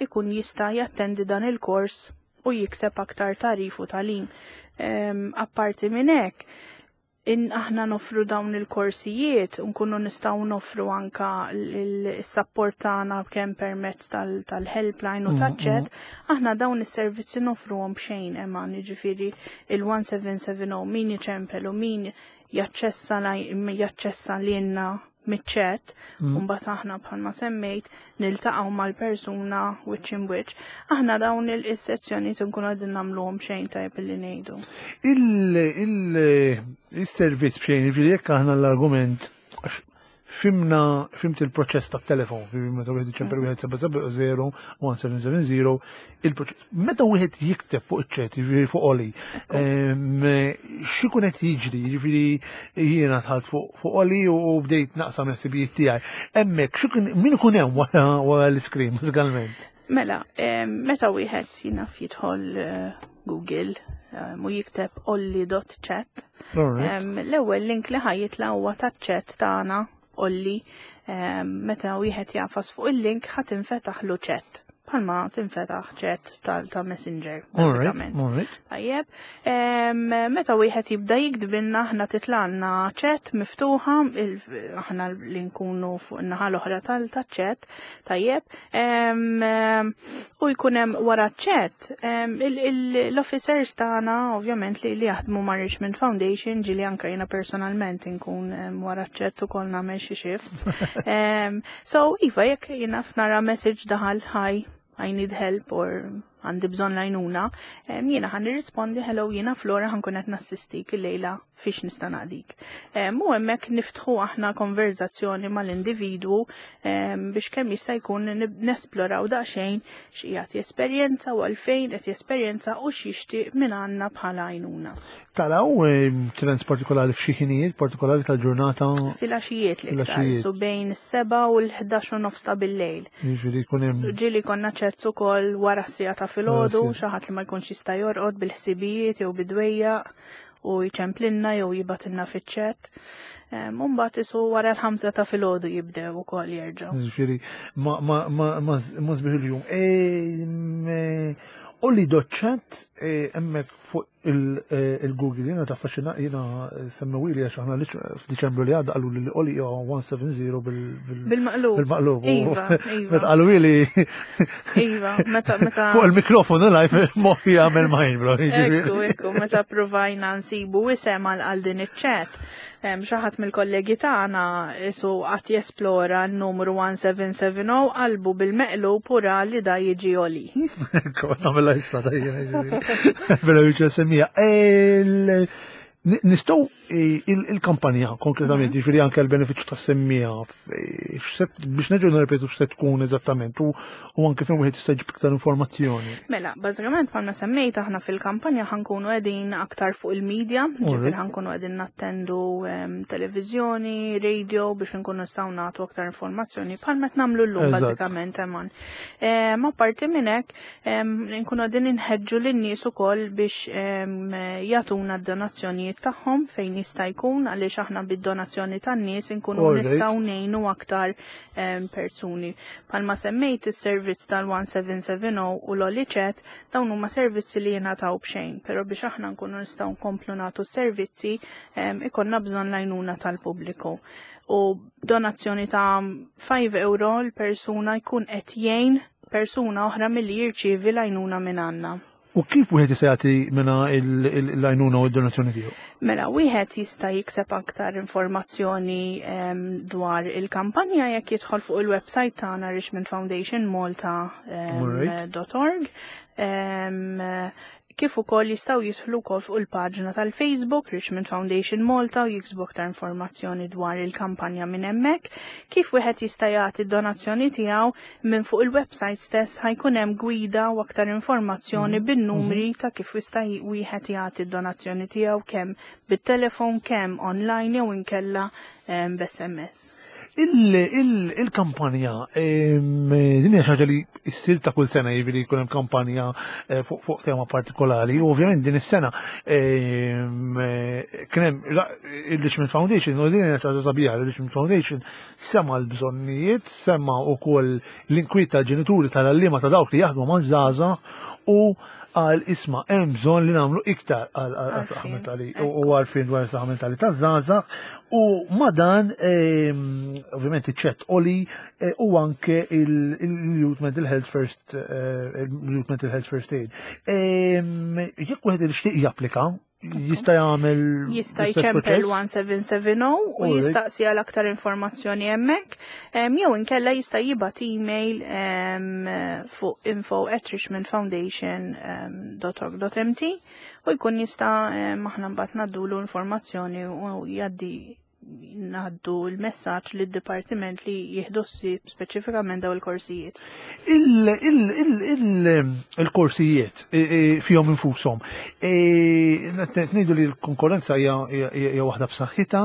ikun jista' jattendi dan il-kors u jikseb aktar tagħrif u tagħlim. Apparti minn hekk, in aħna nofru dawn il-korsijiet, nkunu nistgħu nofru anka l-support tagħna kemm permezz tal-helpline u taċ-chat, aħna dawn is-servizzi nofruhom b'xejn eman, jiġifieri il-1770 min iċempel u min jaċċessa jaċċessa lilna miċ-chat, u mbagħad aħna bħalma semmejt niltaqgħu mal-persuna wiċċ in wiċċ. Aħna dawn il-sezzjonijiet nkunu qegħdin nagħmluhom xejn tajjeb illi ngħidu. Il-servizz b'xejn, jiġifieri jekk aħna l-argument fimna fimt il-proċess ta' telefon, meta wieħed iċempel wieħed 770 1770, il-proċess. Meta wieħed jikteb fuq iċ-chat, jiġifieri fuq Oli, x'ikun qed jiġri, jiġifieri jiena dħalt fuq Oli u bdejt naqsam il-ħsibijiet tiegħi. Hemmhekk x'ikun min ikun hemm wara l-iskrin bażikament? Mela, meta wieħed jinaf jidħol eh, Google u jikteb olli.chat, l-ewwel link li ħajjitla huwa taċ-chat tagħna. Olli, meta wieħed jagħfas fuq il-link ħa tinfetaħlu chat bħalma tinfetaħ chat ta' Messenger, bażikament. Tajjeb. Meta wieħed jibda jiktbilna aħna titlalna chat miftuħa, aħna li nkunu fuq in-naħa l-oħra tal-chat, tajjeb. U jkun hemm wara chat l-officers tagħna ovvjament li jaħdmu ma' Richmond Foundation, ġieli anke jiena personalment inkun wara chat ukoll nagħmel xi shifts. So iva jekk jiena nara message daħal hi, I need help or għandi bżonn l-għajnuna, jiena ħa nirrispondi hello jiena Flora ħa nkun qed nassistik illejla fiex nista' naqdik. U hemmhekk niftħu aħna konverzazzjoni mal-individwu biex kemm jista' jkun nesploraw daqsxejn x'qiegħed jesperjenza u għalfejn qed jesperjenza u x'jixtieq minn għandna bħala għajnuna. Taraw trends partikolari f'xi ħinijiet partikolari tal-ġurnata? Filgħaxijiet l-iktar, Filgħaxijiet. so bejn is-7 u l-11:30 ta' bil-lejl. Jiġifieri jkun hemm Ġieli konna chats ukoll wara s-siegħa ta' filgħodu, Wara s-siegħa. xi ħadd li ma jkunx jista' jorqod bil-ħsibijiet jew bidwejjaq u jċemplinna jew jibgħatilna fiċ-chat. U mbagħad isu wara l-5 ta' filgħodu jibdew ukoll jerġgħu. Jiġifieri ma sbieħ il-jum. Olli dot chat hemmhekk fuq il-Google jiena taffaxxina jiena semmewili għax aħna f'Diċembru li għadda qalu li Olli huwa 170 Bil-maqlub. bil-maqlub. Iva. Meta qalu li Iva, meta fuq il-mikrofonu live moħħi jagħmel mind blow. Ekku, meta provajna nsibu isem għal din iċ-chat, xi ħadd mill-kollegi tagħna isu qatt jesplora n-numru 1770 qalbu bil-meqlub pura li da jiġi Oli. Ekku, nagħmilha issa da jiena, Bella jiġi semmija. Nistgħu il-kampanja konkretament, jiġifieri anke l-benefiċċju tas-semmiegħa, biex nerġgħu nirrepetu x'se tkun eżattament u anke fejn wieħed jista' jġib iktar informazzjoni. Mela, bażikament bħalma semmejt aħna fil-kampanja ħa nkunu qegħdin aktar fuq il-medja, ġifieri ħa nkunu qegħdin nattendu televiżjoni, radio biex nkunu nistgħu nagħtu aktar informazzjoni bħalma qed nagħmlu llum bażikament Eman. Apparti minn hekk, nkunu qegħdin inħeġġu lin-nies ukoll biex jagħtuna d-donazzjonijiet tagħhom fejn jista' jkun għaliex aħna bid-donazzjoni tan-nies inkunu nistgħu ngħinu aktar persuni. Bħalma semmejt is-servizz tal-1770 u l-Olli Chat dawn huma servizzi li jingħataw b'xejn, però biex aħna nkunu nistgħu nkomplu nagħtu s-servizzi ikollna bżonn l-għajnuna tal-pubbliku. U donazzjoni ta' 5 euro l-persuna jkun qed jgħin persuna oħra milli jirċievi l-għajnuna minn għandna. U kif wieħed jista' jagħti minna l-għajnuna u d-donazzjoni tiegħu? Mela, wieħed jista' jikseb aktar informazzjoni dwar il-kampanja jekk jidħol fuq il-website tagħna Richmond Foundation Malta dot org. Kif ukoll jistgħu jidħlu wkoll fuq il-paġna tal-Facebook Richmond Foundation Malta u jiksbu aktar informazzjoni dwar il-kampanja minn hemmhekk. Kif wieħed jista' jagħti d-donazzjoni tiegħu minn fuq il-website stess ħa jkun hemm gwida u aktar informazzjoni bin-numri ta' kif jista' wieħed jagħti d-donazzjoni tiegħu kemm bit-telefon, kemm online jew inkella b'SMS. Il-kampanja, din hija xi ħaġa li ssir ta' kull sena, jiġifieri jkun hemm kampanja fuq tema partikolari, u ovvjament din is-sena kien hemm il-Richmond Foundation, u din hija xi ħaġa sabiħa, il-Richmond Foundation sema l-bżonnijiet, sema wkoll l-inkwiet tal-ġenituri tal-għalliema ta' dawk li jaħdmu ma' żgħażagħ u għal isma' hemm bżonn li nagħmlu iktar għal Għarfien, saħħa mentali u għarfien dwar saħħa mentali taż-żgħażagħ u ma dan ovvjament iċ-chat Oli u anke il-Youth Mental Health First il-Youth Mental Health First Aid. Jekk wieħed ixtieq japplika, jista' jagħmel Jista' l-istess jċempel proċess? 1770 u jistaqsi għal aktar informazzjoni hemmhekk. Jew inkella jista' jibgħat email fuq info at richmond foundation, dot org dot M T u jkun jista' aħna mbagħad ngħaddulu informazzjoni u jgħaddi ngħaddu l-messaġġ lid-dipartiment li jieħdu ħsieb speċifikament daw il-korsijiet. Il-korsijiet fihom infushom. Ngħidu li l-konkurrenza hija waħda b'saħħitha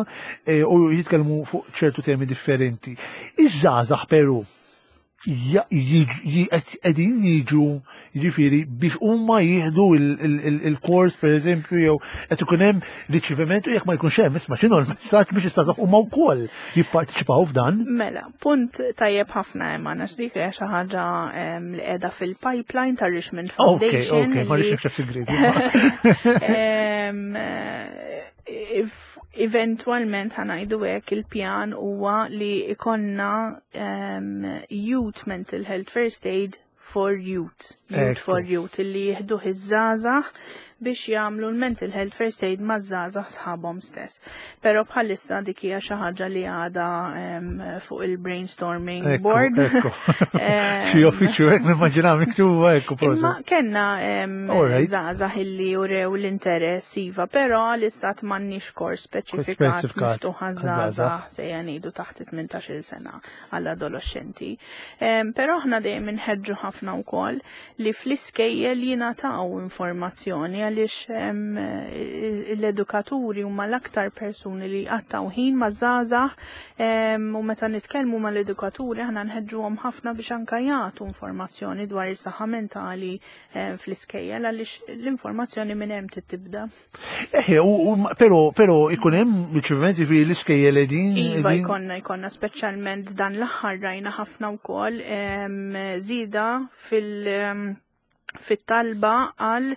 u jitkellmu fuq ċertu temi differenti. Iż-żgħażagħ Peru. Qegħdin jiġu jiġifieri biex huma jieħdu il-kors pereżempju jew qed ikun hemm riċeviment u jekk ma jkunx hemm isma' x'inhu l-messaġġ biex istażaħ huma wkoll jipparteċipaw f'dan. Mela, punt tajjeb ħafna hemm għandna x'dik hija xi ħaġa li qiegħda fil-pipeline ta' Richmond Foundation. Ok, ok, ma rridx nikxef sigrieti. Eventwalment ħanajdu hekk il-pjan huwa li ikonna youth mental health first aid for youth, youth for youth, illi jihdu iż-żgħażagħ biex jagħmlu l-mental health first aid maż-żgħażagħ sħabhom stess. Però bħalissa dik hija xi ħaġa li għadha fuq il-brainstorming board. Xi uffiċċju hekk nimmaġina miktuba hekk Imma kellna żgħażagħ illi urew l-interess iva, però għalissa m'għandniex kors speċifikat miftuħ għaż-żgħażagħ sejja ngħidu taħt 18-il sena għall-adolescenti. Però aħna dejjem inħeġġu ħafna wkoll li fl-iskejjel jingħataw informazzjoni għaliex l-edukaturi huma l-aktar persuni li jqattgħu ħin maż-żgħażagħ u meta nitkellmu mal-edukaturi aħna nħeġġuhom ħafna biex anke jagħtu informazzjoni dwar is-saħħa mentali fl-iskejjel għaliex l-informazzjoni minn hemm tibda. Eħe, pero, pero ikun hemm riċevimenti fi l-iskejjel qegħdin. Iva jkollna jkollna speċjalment dan l-aħħar rajna ħafna wkoll żieda fil- fit-talba għal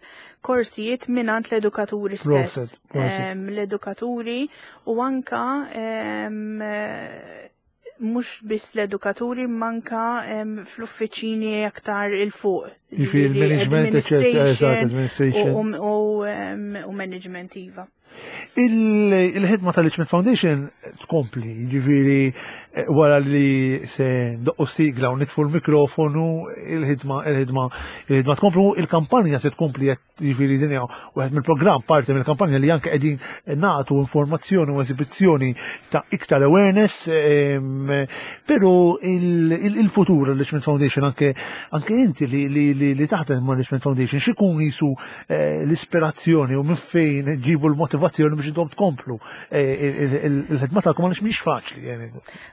korsijiet minant l-edukaturi stess. L-edukaturi u anka mhux biss l-edukaturi manka fl-uffiċini aktar il-fuq. Jiġifieri il-management, administration. U management iva. Il-ħidma tal-Richmond Foundation tkompli, ġifiri eh, wara li se doqqu sigla u nitfu l-mikrofonu, il-ħidma, il-ħidma, il-ħidma tkomplu, il-kampanja se tkompli Jiġifieri din hija wieħed mill-programm parti mill-kampanja li anke qegħdin nagħtu informazzjoni u esibizzjoni ta' iktar awareness, però il-futur l-Richmond Foundation anke anke inti li taħdem ma' Richmond Foundation x'ikun jisu eh, l-ispirazzjoni u minn fejn ġibu l-motivazzjoni biex intom tkomplu eh, il-ħidma tagħkom għaliex mhix faċli.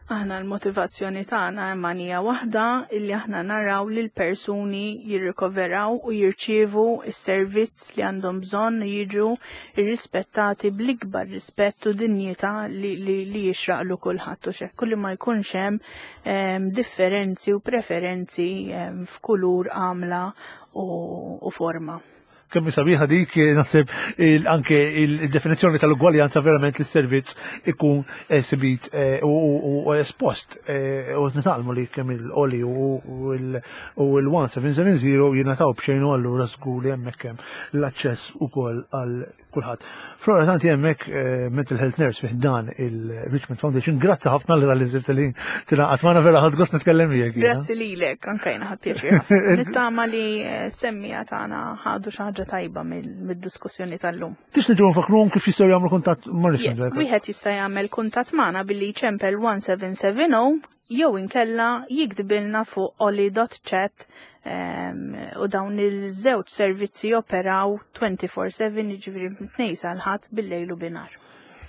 Aħna l-motivazzjoni tagħna hemm hija waħda illi aħna naraw li l-persuni jirrikoveraw u jirċievu s-servizz li għandhom bżonn u jiġu irrispettati bl-ikbar rispett u dinjità li, li, li jixraqlu kulħadd u xekk li ma jkunx hemm ehm, differenzi u preferenzi ehm, f'kulur, għamla u, u forma. Kemm sabiħa dik naħseb anke il-definizzjoni tal-ugwaljanza verament li s-servizz ikun esibit eh, u espost eh, u nitalmu li kemm il-oli u l-1770 jingħataw b'xejn u allura żgur li hemmhekk hemm l-aċċess ukoll għal kulħadd. Flora tanti hemmhekk eh, mental health nurse fih dan il-Richmond Foundation. Grazzi ħafna li tal sibt li tingħaqad magħna vera ħadd gost nitkellem miegħek. Grazzi lilek, anke jiena ħadd pjaċir. Nittama li eh, semmija tagħna ħadu xi ħaġa tajba mid-diskussjoni tal-lum. Tix niġu nfakruhom kif jistgħu jagħmlu kuntatt ma' Richmond. Wieħed jista' jagħmel kuntatt magħna billi jċempel 1770 jew inkella jiktbilna fuq oli.chat u dawn il-żewġ servizzi joperaw 24/7 jiġifieri mit-tnejn sal-ħadd bil-lejl u binar.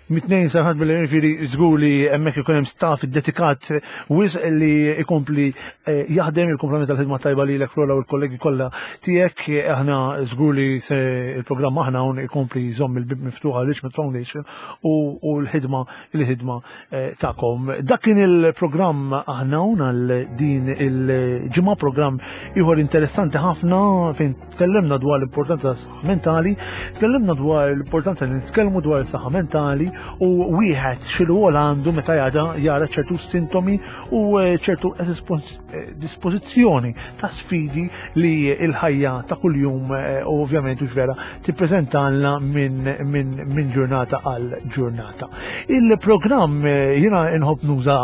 Mit-tnejn sal-ħadd bil-lejl jiġifieri żgur li hemmhekk ikun hemm staff iddedikat wisq li jkompli eh, jaħdem il-kumplament tal-ħidma tajba lilek Flora u l-kollegi kollha tiegħek aħna żgur li se il-programm aħna hawn ikompli jżomm il-bib miftuħa Richmond Foundation u l-ħidma il-ħidma eh, tagħkom. Dak kien il-programm aħna hawn għal din il-ġimgħa programm ieħor interessanti ħafna fejn tkellimna dwar l-importanza tas-saħħa mentali, tkellimna dwar l-importanza li nitkellmu dwar is-saħħa mentali u wieħed xi rwol għandu meta jara ċertu sintomi u eh, ċertu eh, dispożizzjoni ta' sfidi li l-ħajja ta' kuljum u ovvjament u vera tippreżentalna minn min, min ġurnata għal ġurnata. Il-programm eh, jiena nħobb nuża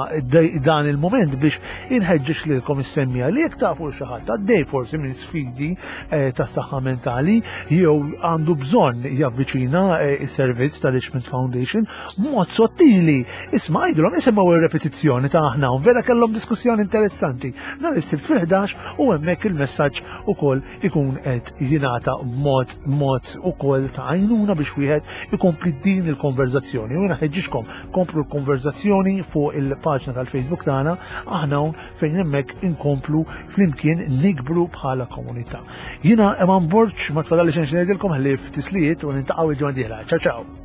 dan il-moment biex inħeġġeġ lilkom is-semmija li jekk tafu xi ħadd għaddej forsi minn sfidi eh, ta' saħħa mentali jew għandu bżonn javviċina eh, is-servizz tal-Richmond Foundation, fejn mod sottili. Isma' għidilhom isimgħu ir-repetizzjoni ta' aħna hawn vera kellhom diskussjoni interessanti. Nhar is-Sibt fil-11 u hemmhekk il-messaġġ ukoll ikun qed jingħata b'mod mod ukoll ta' għajnuna biex wieħed ikompli din il-konverzazzjoni. U jiena ħeġġiġkom komplu l-konverzazzjoni fuq il-paġna tal-Facebook tagħna aħna hawn fejn hemmhekk inkomplu flimkien nikbru bħala komunità. Jiena Eman Borg ma tfadalli xejn xi ngħidilkom ħlief tislijiet u nintaqgħu il-ġimgħa dieħla. Ciao ciao.